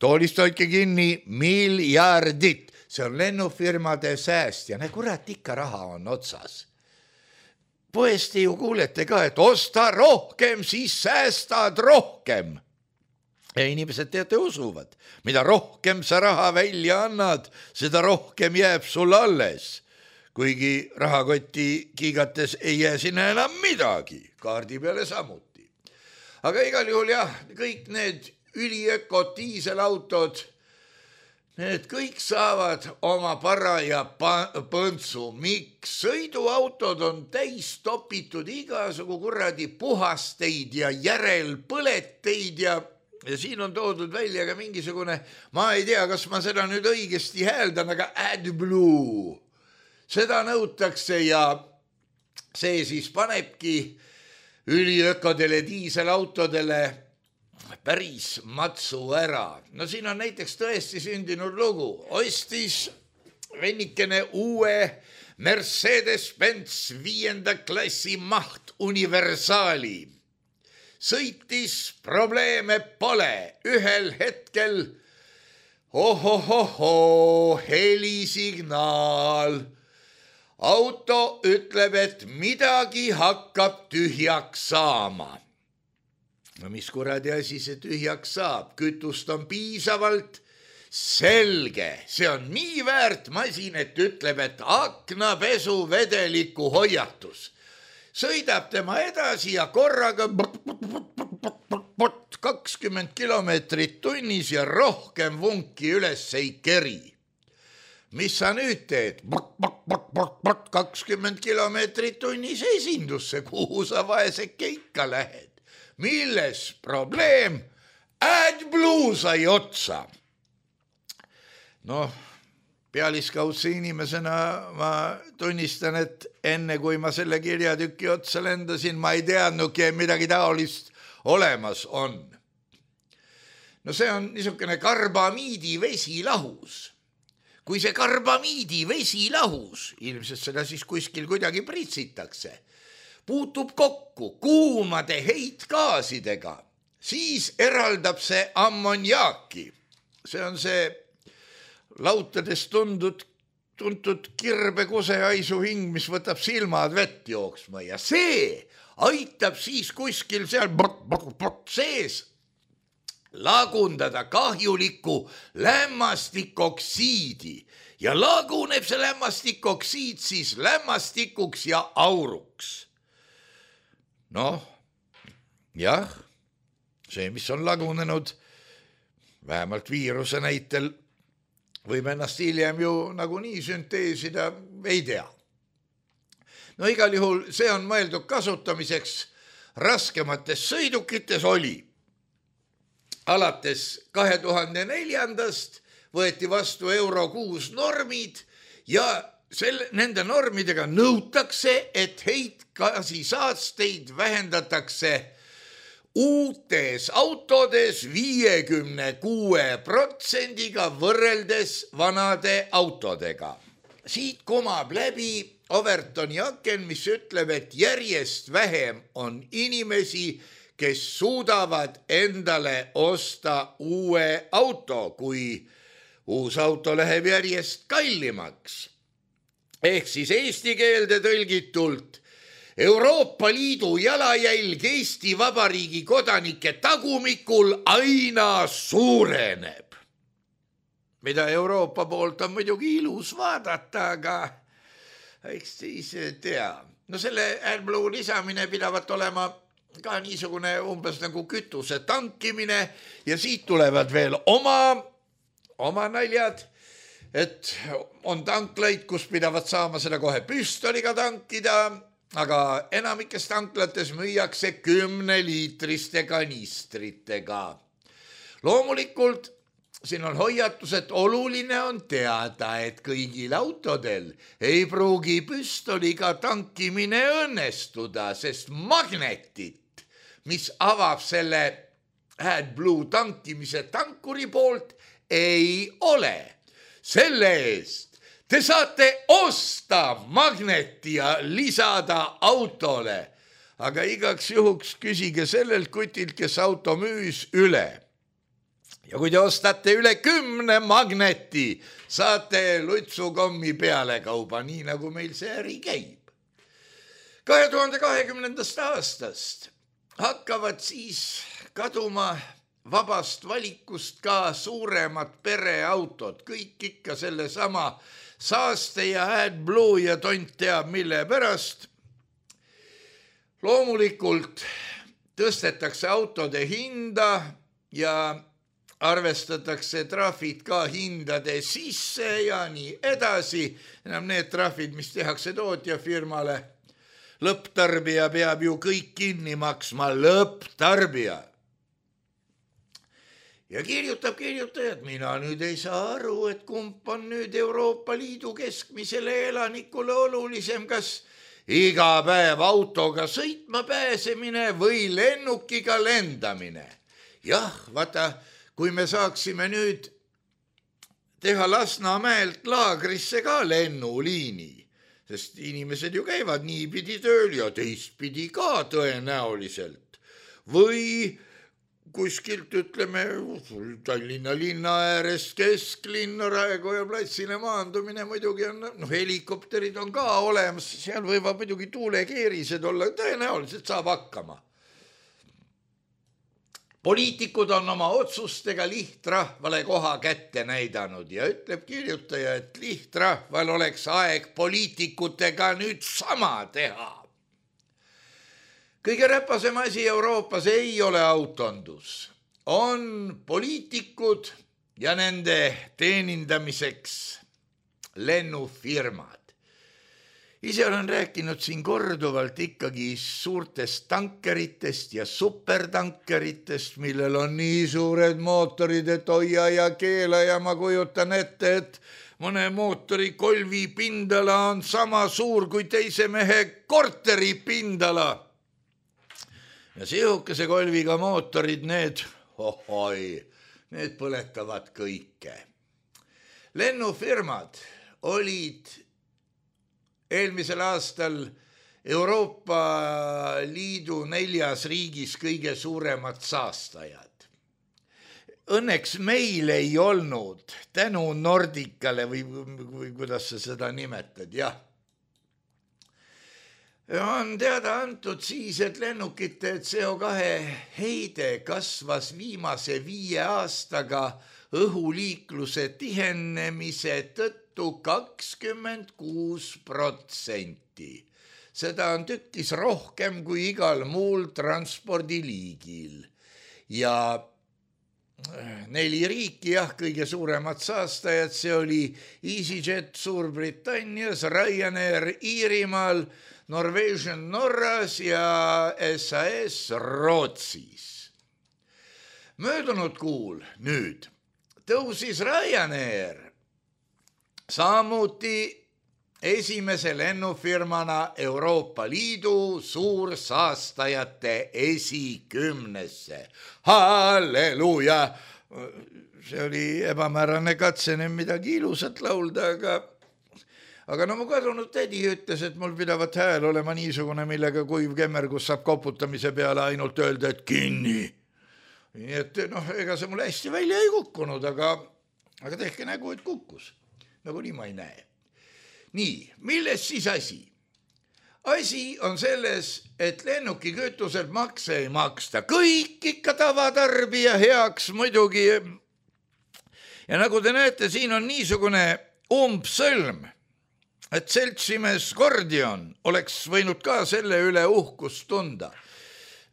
toolist hoidke kinni miljardit. See on lennufirmade sääst ja ne kurat ikka raha on otsas. Poesti ju kuulete ka, et osta rohkem, siis säästad rohkem. Ja inimesed teate usuvad, mida rohkem sa raha välja annad, seda rohkem jääb sul alles. Kuigi rahakoti kiigates ei jää sinna enam midagi, kaardi peale samuti. Aga igal juhul jah, kõik need üliökod, diiselautod, need kõik saavad oma paraja põntsu. Miks? Sõiduautod on täis topitud igasugu kuradi puhasteid ja järelpõleteid ja, ja siin on toodud välja ka mingisugune, ma ei tea, kas ma seda nüüd õigesti hääldan, aga AdBlue. Seda nõutakse ja see siis panebki üliökodele, diiselautodele päris matsu ära. No siin on näiteks tõesti sündinud lugu. Ostis vennikene uue Mercedes-Benz viienda klassi maht universaali. Sõitis, probleeme pole. Ühel hetkel ohohoho, helisignaal. Auto ütleb, et midagi hakkab tühjaks saama. No mis kuradi asi see tühjaks saab? Kütust on piisavalt selge. See on nii väärt masin, et ütleb, et aknapesu vedeliku hoiatus. Sõidab tema edasi ja korraga kakskümmend kilomeetrit tunnis ja rohkem vunki üles ei keri. mis sa nüüd teed? kakskümmend kilomeetrit tunnis esindusse, kuhu sa vaeseke ikka lähed. Milles probleem? AdBlue sai otsa. Noh, pealiskaudse inimesena ma tunnistan, et enne kui ma selle kirjatüki otsa lendasin, ma ei teadnudki, et midagi taolist olemas on. No see on niisugune karbamiidi vesilahus. Kui see karbamiidi vesilahus, ilmselt seda siis kuskil kuidagi pritsitakse, puutub kokku kuumade heitgaasidega, siis eraldab see ammoniaaki. See on see lautades tundud, tuntud kirbekuse hing, mis võtab silmad vett jooksma ja see aitab siis kuskil seal sees lagundada kahjulikku lämmastikoksiidi ja laguneb see lämmastikoksiid siis lämmastikuks ja auruks. Noh, jah, see, mis on lagunenud, vähemalt viiruse näitel, võib ennast hiljem ju nagunii sünteesida, ei tea. No igal juhul see on mõeldud kasutamiseks raskemates sõidukites oli. Alates kahe tuhande neljandast võeti vastu euro kuus normid ja selle, nende normidega nõutakse, et heitgaasisaasteid vähendatakse uutes autodes viiekümne kuue protsendiga võrreldes vanade autodega. Siit kumab läbi Overtoni aken, mis ütleb, et järjest vähem on inimesi, kes suudavad endale osta uue auto, kui uus auto läheb järjest kallimaks. Ehk siis eesti keelde tõlgitult Euroopa Liidu jalajälg Eesti Vabariigi kodanike tagumikul aina suureneb. Mida Euroopa poolt on muidugi ilus vaadata, aga eks siis tea. No selle AdBlue lisamine pidavat olema ka niisugune umbes nagu kütuse tankimine ja siit tulevad veel oma, oma naljad, et on tanklaid, kus pidavad saama seda kohe püstoliga tankida, aga enamikes tanklates müüakse kümneliitriste kanistritega. Loomulikult siin on hoiatus, et oluline on teada, et kõigil autodel ei pruugi püstoliga tankimine õnnestuda, sest magnetit, mis avab selle AdBlue tankimise tankuri poolt, ei ole. Selle eest te saate osta magneti ja lisada autole, aga igaks juhuks küsige sellelt kutilt, kes auto müüs üle. Ja kui te ostate üle kümne magneti, saate lutsukommi peale kauba, nii nagu meil see äri käib. kahe tuhande kahekümnendast aastast hakkavad siis kaduma vabast valikust ka suuremad pereautod, kõik ikka selle sama saaste ja AdBlue ja tont teab mille pärast. Loomulikult tõstetakse autode hinda ja arvestatakse trahvid ka hindade sisse ja nii edasi. Enam need trahvid, mis tehakse tootjafirmale, lõpptarbija peab ju kõik kinni maksma, lõpptarbija. Ja kirjutab kirjutajad, mina nüüd ei saa aru, et kump on nüüd Euroopa Liidu keskmisele elanikule olulisem, kas iga päev autoga sõitma pääsemine või lennukiga lendamine. Jah, vaata, kui me saaksime nüüd teha Lasnamäelt Laagrisse ka lennuliini, sest inimesed ju käivad niipidi tööl ja teistpidi ka tõenäoliselt. Või kuskilt ütleme Tallinna linna äärest kesklinna Raekoja platsile maandumine muidugi on, noh, helikopterid on ka olemas, seal võivad muidugi tuulekeerised olla, tõenäoliselt saab hakkama. Poliitikud on oma otsustega lihtrahvale koha kätte näidanud ja ütleb kirjutaja, et lihtrahval oleks aeg poliitikutega nüüd sama teha. Kõige räpasem asi Euroopas ei ole autondus. On poliitikud ja nende teenindamiseks lennufirmad. Ise olen rääkinud siin korduvalt ikkagi suurtest tankeritest ja supertankeritest, millel on nii suured mootorid, et hoia ja keela ja ma kujutan ette, et mõne mootori kolvi pindala on sama suur kui teise mehe korteri pindala. Ja sihukese kolviga mootorid, need, ohoi, need põletavad kõike. Lennufirmad olid eelmisel aastal Euroopa Liidu neljas riigis kõige suuremad saastajad. Õnneks meil ei olnud tänu Nordicale või, või kuidas sa seda nimetad, jah. On teada antud siis, et lennukite C O kahe heide kasvas viimase viie aastaga õhuliikluse tihenemise tõttu kakskümmend kuus protsenti. Seda on tükkis rohkem kui igal muul transpordiliigil. Ja neli riiki, jah, kõige suuremad saastajad, see oli EasyJet Suurbritannias, Ryanair Iirimaal, Norwegian Norras ja S A S Rootsis. Möödunud kuul nüüd tõusis Ryanair samuti esimese lennufirmana Euroopa Liidu suursaastajate esikümnesse. Halleluja! See oli ebamäärane katse nüüd midagi ilusat laulda, aga, aga no mu kadunud tädi ütles, et mul pidavat hääl olema niisugune, millega kuiv kemmergus saab koputamise peale ainult öelda, et kinni. Nii et noh, ega see mul hästi välja ei kukkunud, aga, aga tehke nägu, et kukkus. Nagu nii ma ei näe. Nii, milles siis asi? Asi on selles, et lennuki kütuselt makse ei maksta. Kõik ikka tavatarbija heaks muidugi. Ja nagu te näete, siin on niisugune umbsõlm, et seltsimees Gordion oleks võinud ka selle üle uhkust tunda.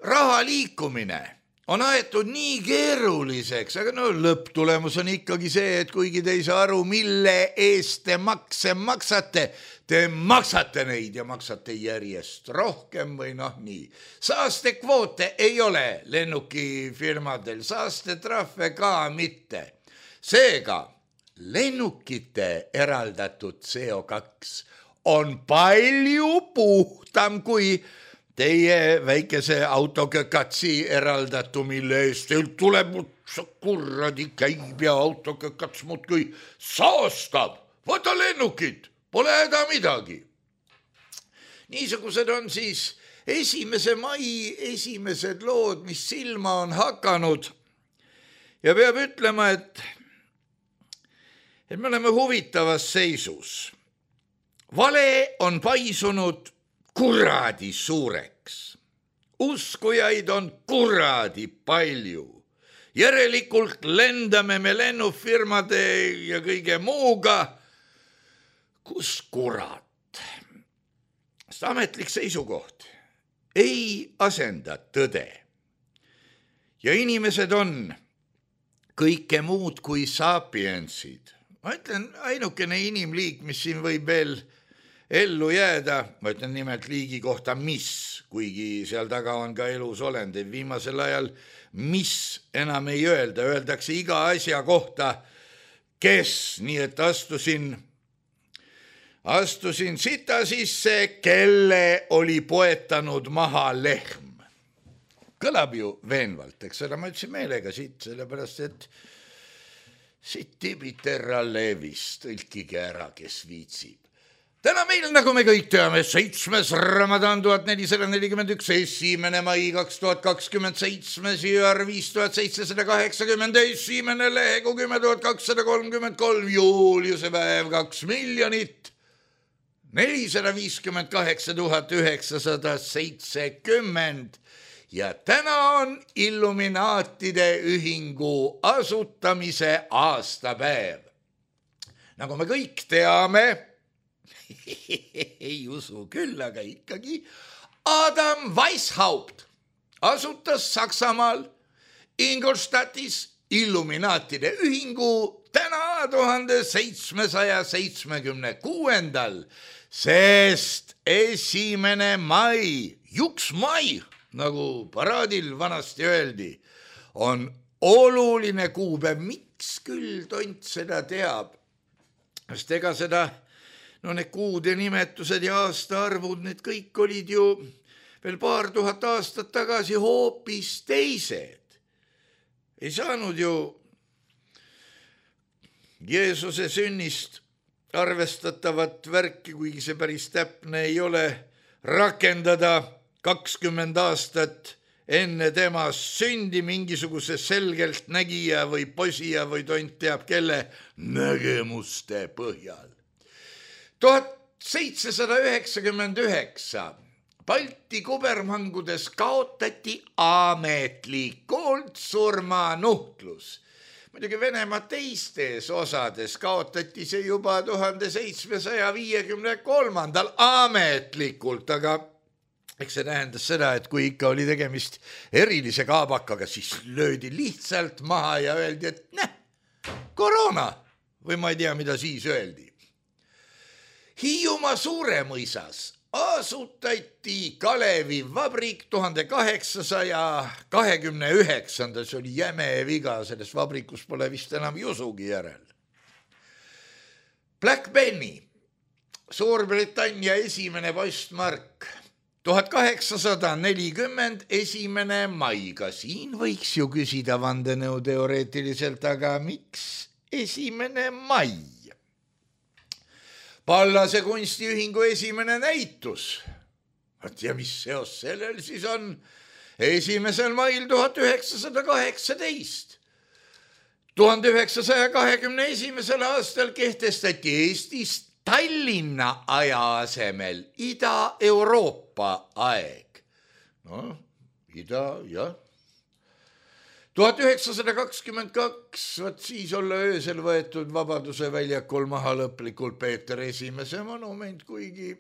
Raha liikumine on aetud nii keeruliseks, aga no lõpptulemus on ikkagi see, et kuigi te ei saa aru, mille eest te makse maksate, te maksate neid ja maksate järjest rohkem või noh nii. Saastekvoote ei ole lennukifirmadel, saastetrahve ka mitte. Seega, lennukite eraldatud C O kaks on palju puhtam kui teie väikese autokökatsi eraldatu, mille eest teil tuleb kurradi käib ja autokökats muudkui saastab. Võta lennukid, pole häda midagi. Niisugused on siis esimese mai esimesed lood, mis silma on hakanud. Ja peab ütlema, et, et me oleme huvitavas seisus. Vale on paisunud kuradi suureks. Uskujaid on kuradi palju. Järelikult lendame me lennufirmade ja kõige muuga. Kus kurat? Sest ametlik seisukoht ei asenda tõde. Ja inimesed on kõike muud kui sapiensid. Ma ütlen, ainukene inimliik, mis siin võib veel ellu jääda, ma ütlen nimelt liigi kohta mis, kuigi seal taga on ka elus olendid. Viimasel ajal mis enam ei öelda, öeldakse iga asja kohta, kes, nii et astusin, astusin sita sisse, kelle oli poetanud maha lehm. Kõlab ju veenvalt, eks seda ma ütlesin meelega siit, sellepärast et siit tibiterra levis, tõlkige ära, kes viitsib. Täna meil, nagu me kõik teame, seitsmes Ramadan tuhat nelisada nelikümmend üks, esimene mai kaks tuhat kakskümmend seitsmes jõar viis tuhat seitsesada kaheksakümmend, esimene lehegu kümme tuhat kakssada kolmkümmend kolm, Juliuse päev kaks miljonit, nelisada viiskümmend kaheksa tuhat üheksasada seitsekümmend ja täna on Illuminaatide ühingu asutamise aastapäev. Nagu me kõik teame, ei usu küll, aga ikkagi Adam Weishaupt asutas Saksamaal Ingolstadtis Illuminaatide ühingu täna tuhande seitsmesaja seitsmekümne kuuendal, sest esimene mai, juks mai, nagu paraadil vanasti öeldi, on oluline kuupäev. Miks küll tont seda teab? Sest ega seda, no need kuude nimetused ja aastaarvud, need kõik olid ju veel paar tuhat aastat tagasi hoopis teised. Ei saanud ju Jeesuse sünnist arvestatavat värki, kuigi see päris täpne ei ole, rakendada kakskümmend aastat enne tema sündi mingisuguse selgelt nägija või posija või tont teab kelle nägemuste põhjal. tuhat seitsesada üheksakümmend üheksa Balti kubermangudes kaotati ametlikult surmanuhtlus. Muidugi Venemaa teistes osades kaotati see juba tuhande seitsmesaja viiekümne kolmandal ametlikult, aga eks see tähendas seda, et kui ikka oli tegemist erilise kaabakaga, siis löödi lihtsalt maha ja öeldi, et näh, koroona või ma ei tea, mida siis öeldi. Hiiumaa Suuremõisas asutati Kalevi vabrik tuhande kaheksasaja kahekümne üheksandal, see oli jäme viga, selles vabrikus pole vist enam jusugi järel. Black Penny, Suurbritannia esimene postmark, tuhat kaheksasada nelikümmend esimene mai, ka siin võiks ju küsida vandenõu teoreetiliselt, aga miks esimene mai? Pallase kunstiühingu esimene näitus. Ja mis seos sellel siis on? Esimesel mail tuhat üheksasada kaheksateist. tuhande üheksasaja kahekümne esimesel aastal kehtestati Eestis Tallinna aja asemel Ida-Euroopa aeg. No, ida, jah. tuhat üheksasada kakskümmend kaks, võt siis olla öösel võetud Vabaduse väljakul maha lõplikult Peeter Esimese monument, kuigi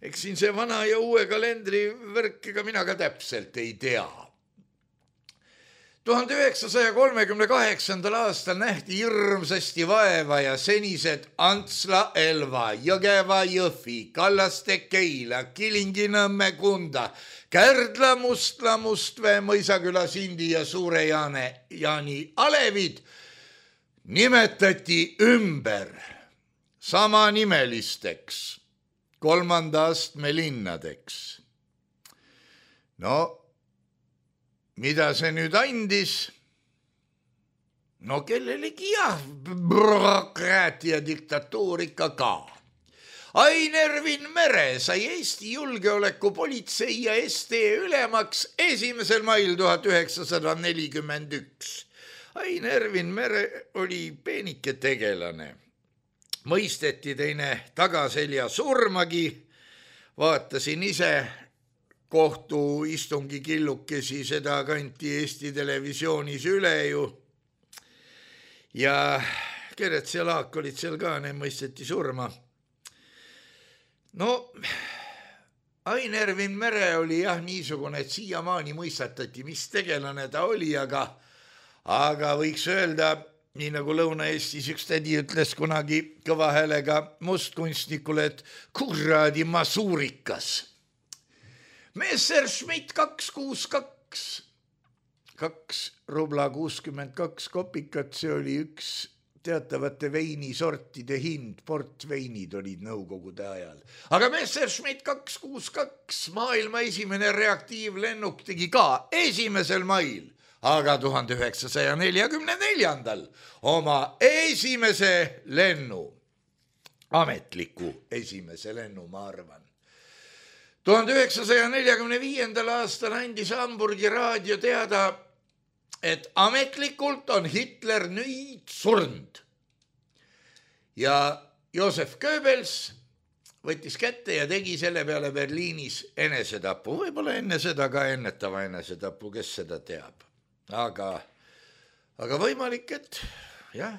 eks siin see vana ja uue kalendri värk, ega mina ka täpselt ei tea. tuhande üheksasaja kolmekümne kaheksandal aastal nähti hirmsasti vaeva ja senised Antsla, Elva, Jõgeva, Jõhvi, Kallaste, Keila, Kilingi-Nõmme, Kunda, Kärdla, Mustla, Mustvee, Mõisaküla, Sindi ja Suure-Jaane, Jaani alevid nimetati ümber samanimelisteks kolmanda astme linnadeks. No, mida see nüüd andis? No kellelegi jah, bürokraatia diktatuur ikka ka. Ain Ervin Mere sai Eesti julgeolekupolitsei ja S T ülemaks esimesel mail tuhat üheksasada nelikümmend üks. Ain Ervin Mere oli peenike tegelane. Mõisteti teine tagaselja surmagi. Vaatasin ise kohtuistungi killukesi, seda kanti Eesti televisioonis üle ju. Ja Kerets ja Laak olid seal ka, need mõisteti surma. No, Ain Ervin Mere oli jah niisugune, et siiamaani mõistatati, mis tegelane ta oli, aga, aga võiks öelda, nii nagu Lõuna-Eestis üks tädi ütles kunagi kõva häälega mustkunstnikule, et kuradi masuurikas. Messerschmitt kaks kuus kaks, kaks rubla kuuskümmend kaks kopikat, see oli üks teatavate veinisortide hind, portveinid olid nõukogude ajal. Aga Messerschmitt kaks kuus kaks, maailma esimene reaktiivlennuk tegi ka esimesel mail, aga tuhande üheksasaja neljakümne neljandal oma esimese lennu, ametliku esimese lennu, ma arvan. tuhande üheksasaja neljakümne viiendal aastal andis Hamburgi raadio teada, et ametlikult on Hitler nüüd surnud. Ja Josef Goebbels võttis kätte ja tegi selle peale Berliinis enesetapu. Võib-olla enne seda ka ennetava enesetapu, kes seda teab. Aga, aga võimalik, et jah.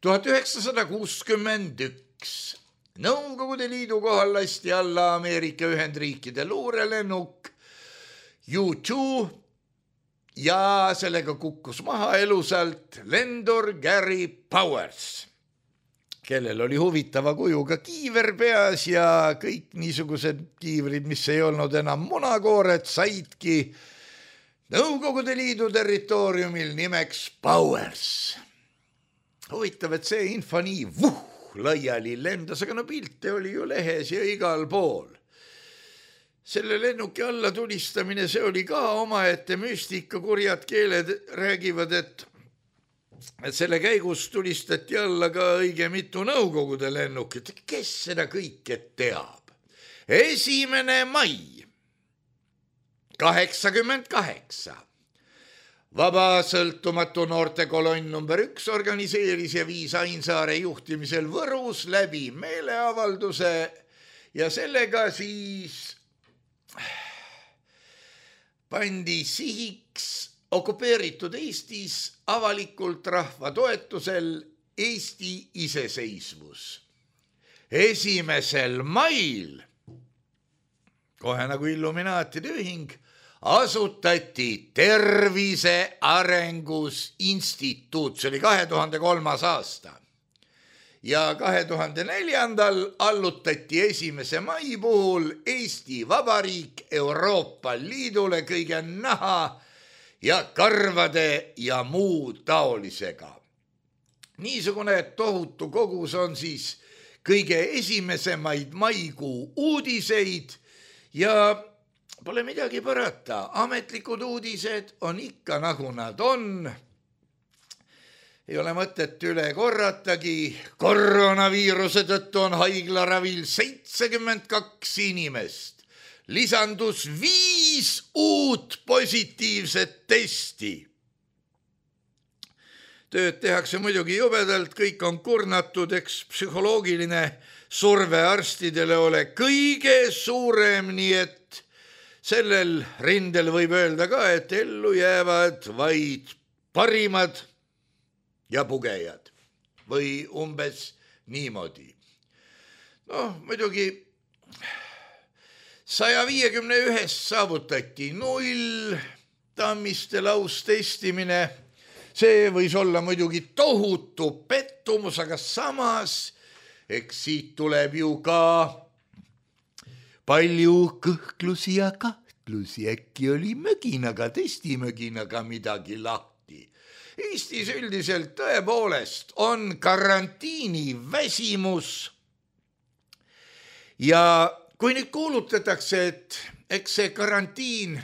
tuhat üheksasada kuuskümmend üks. Nõukogude Liidu kohal lasti alla Ameerika Ühendriikide luurelennuk U two ja sellega kukkus maha elusalt lendur Gary Powers, kellel oli huvitava kujuga kiiver peas ja kõik niisugused kiivrid, mis ei olnud enam munakoored, saidki Nõukogude Liidu territooriumil nimeks Powers. Huvitav, et see info nii vuh, laiali lendas, aga no pilte oli ju lehes ja igal pool. Selle lennuki alla tulistamine, see oli ka omaette müstika, kurjad keeled räägivad, et, et selle käigus tulistati alla ka õige mitu Nõukogude lennukit. Kes seda kõike teab? Esimene mai kaheksakümmend kaheksa. Vaba sõltumatu noortekolonn number üks organiseeris ja viis Ainsaare juhtimisel Võrus läbi meeleavalduse ja sellega siis pandi sihiks okupeeritud Eestis avalikult rahva toetusel Eesti iseseisvus. Esimesel mail, kohe nagu Illuminaatide ühing, asutati Tervise Arengus Instituut, see oli kahe tuhande kolmas aasta. Ja kahe tuhande neljandal allutati esimese mai puhul Eesti Vabariik Euroopa Liidule kõige naha ja karvade ja muu taolisega. Niisugune tohutu kogus on siis kõige esimesemaid maikuu uudiseid ja pole midagi parata, ametlikud uudised on ikka nagu nad on. Ei ole mõtet üle korratagi, koroonaviiruse tõttu on haiglaravil seitsekümmend kaks inimest. Lisandus viis uut positiivset testi. Tööd tehakse muidugi jubedalt, kõik on kurnatud, eks psühholoogiline surve arstidele ole kõige suurem, nii et sellel rindel võib öelda ka, et ellu jäävad vaid parimad ja pugejad või umbes niimoodi. Noh, muidugi saja viiekümne ühest saavutati null, Tammiste laustestimine, see võis olla muidugi tohutu pettumus, aga samas eks siit tuleb ju ka palju kõhklusi ja kahtlusi, äkki oli möginaga, testimöginaga midagi lahti. Eestis üldiselt tõepoolest on karantiini väsimus ja kui nüüd kuulutatakse, et eks see karantiin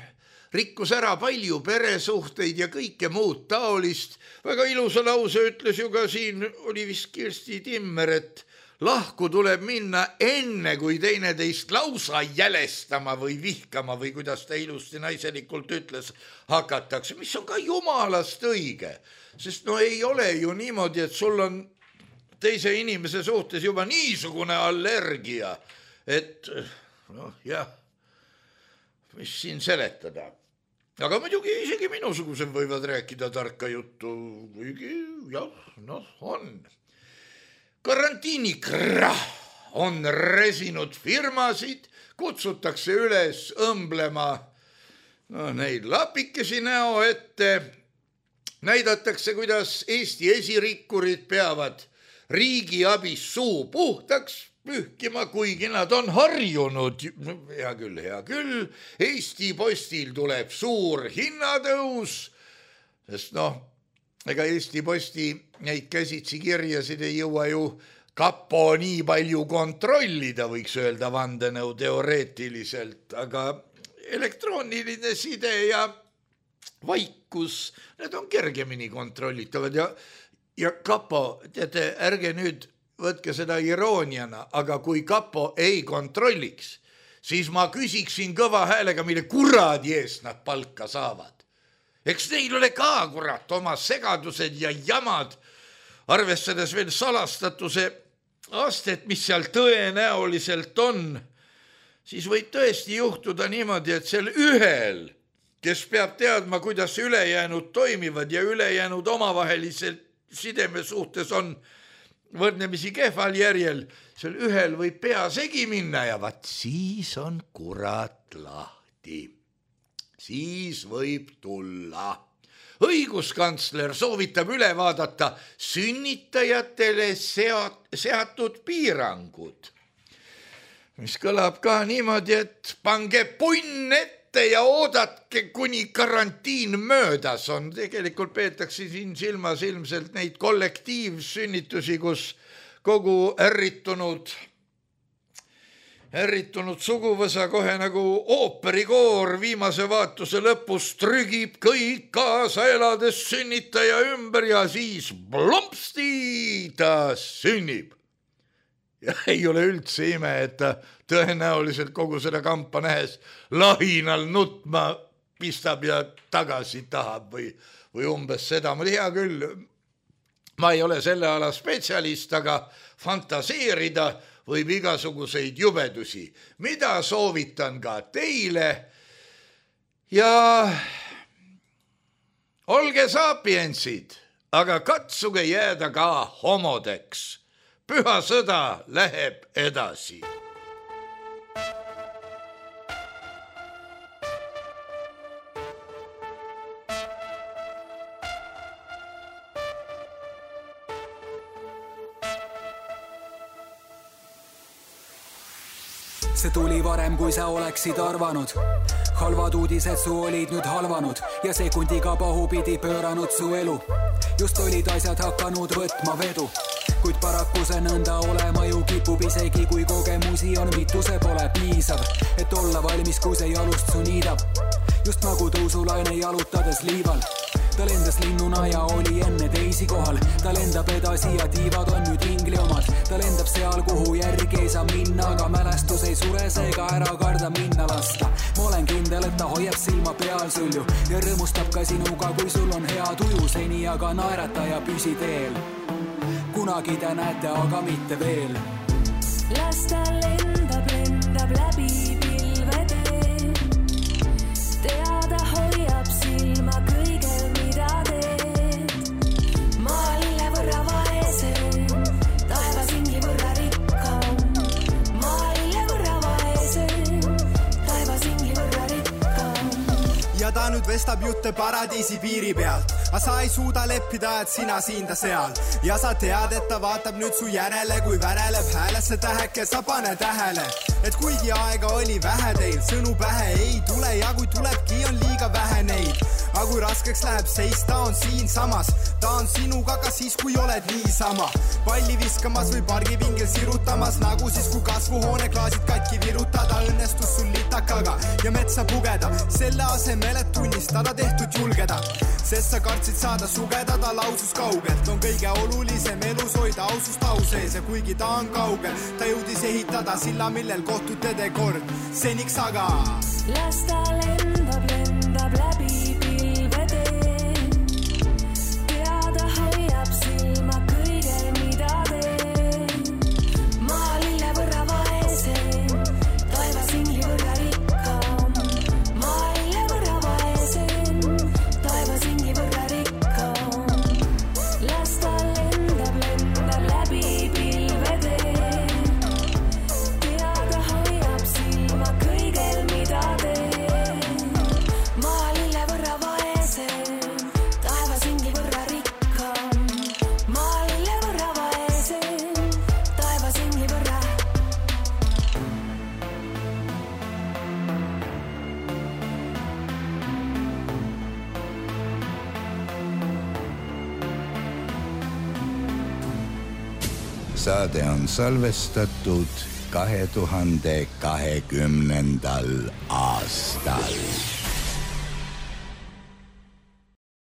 rikkus ära palju peresuhteid ja kõike muud taolist, väga ilusa lause ütles ju ka siin, oli vist Kirsti Timmer, et lahku tuleb minna enne, kui teineteist lausa jälestama või vihkama või kuidas ta ilusti naiselikult ütles, hakatakse, mis on ka jumalast õige. Sest no ei ole ju niimoodi, et sul on teise inimese suhtes juba niisugune allergia, et noh jah, mis siin seletada. Aga muidugi isegi minusugused võivad rääkida tarka juttu, kuigi jah, noh on. Karantiinikrah on resinud firmasid, kutsutakse üles õmblema no, neid lapikesi näo ette, näidatakse, kuidas Eesti esirikkurid peavad riigi abis suu puhtaks pühkima, kuigi nad on harjunud. Hea küll, hea küll, Eesti Postil tuleb suur hinnatõus, sest noh, ega Eesti Posti neid käsitsi kirjasid ei jõua ju kapo nii palju kontrollida, võiks öelda vandenõu teoreetiliselt, aga elektrooniline side ja vaikus, need on kergemini kontrollitavad ja, ja kapo, teate, ärge nüüd võtke seda irooniana, aga kui kapo ei kontrolliks, siis ma küsiksin kõva häälega, mille kuradi eest nad palka saavad. Eks neil ole ka, kurat, oma segadused ja jamad, arvestades veel salastatuse astet, mis seal tõenäoliselt on, siis võib tõesti juhtuda niimoodi, et seal ühel, kes peab teadma, kuidas ülejäänud toimivad ja ülejäänud omavaheliselt sideme suhtes on võrdnemisi kehval järjel, seal ühel võib pea segi minna ja vaat siis on kurat lahti. siis võib tulla. Õiguskantsler soovitab üle vaadata sünnitajatele seat, seatud piirangud, mis kõlab ka niimoodi, et pange punn ette ja oodatke, kuni karantiin möödas on. Tegelikult peetakse siin silmas ilmselt neid kollektiivsünnitusi, kus kogu ärritunud Ärritunud suguvõsa kohe nagu ooperikoor viimase vaatuse lõpus trügib kõik kaasa elades sünnitaja ümber ja siis plumpsti ta sünnib. Ja ei ole üldse ime, et ta tõenäoliselt kogu seda kampa nähes lahinal nutma pistab ja tagasi tahab või, või umbes seda. Ma hea küll, ma ei ole selle ala spetsialist, aga fantaseerida võib igasuguseid jubedusi, mida soovitan ka teile. Ja olge sapiensid, aga katsuge jääda ka homodeks. Püha sõda läheb edasi. See tuli varem, kui sa oleksid arvanud. Halvad uudised su olid nüüd halvanud ja sekundiga pahupidi pööranud su elu. Just olid asjad hakanud võtma vedu, kuid paraku see nõnda olema ju kipub, isegi kui kogemusi on mitu, see pole piisav, et olla valmis, kui see jalust su niidab. Just nagu tõusulaine jalutades liival. Ta lendas linnuna ja oli enne teisi kohal. Ta lendab edasi ja tiivad on nüüd ingli omad. Ta lendab seal, kuhu järgi ei saa minna, aga mälestus ei sure, seega ära karda minna lasta. Ma olen kindel, et ta hoiab silma peal sul ju ja rõõmustab ka sinuga, kui sul on hea tuju seni, aga naerata ja püsi teel. Kunagi te näete, aga mitte veel. Las ta lendab, lendab läbi pilvede. Teada hoiab silma kõigel, mida teed. Maalile võrra vaesem, taevas ingli võrra rikkam. Maalile võrra vaesem, taevas ingli võrra rikkam. Ja ta nüüd vestab jutte paradiisi piiri pealt, aga sa ei suuda leppida, et sina siin ta seal. Ja sa tead, et ta vaatab nüüd su järele, kui väreleb häälesse täheke, sa pane tähele, et kuigi aega oli vähe teil, sõnu pähe ei tule ja kui tulebki, on liiga vähe neid. Aga kui raskeks läheb seis, ta on siin samas, ta on sinuga ka siis, kui oled niisama. Palli viskamas või pargipingil sirutamas, nagu siis, kui kasvuhoone klaasid katki virutada, õnnestus sul litakaga ja metsa pugeda, selle asemel, et tunnistada tehtud julgeda. Sest sa kartsid saada sugeda, ta lausus kaugelt, on kõige olulisem elus hoida ausust au sees ja kuigi ta on kaugel, ta jõudis ehitada silla, millel kohtute te kord seniks aga. Las ta lendab, lendab läbi pilvede. Teada hoiab silma kõigel, mida teed. Maalile võrra vaesem, taevas ingli võrra rikkam. Maalile võrra vaesem, taevas ingli võrra rikkam. Las ta lendab, lendab läbi pilvede. Teada hoiab silma kõigel, mida teed. Maalile võrra vaesem, taevas ingli võrra rikkam. Maalile võrra vaesem, taevas ingli võrra. Saade on salvestatud kahe tuhande kahekümnendal aastal.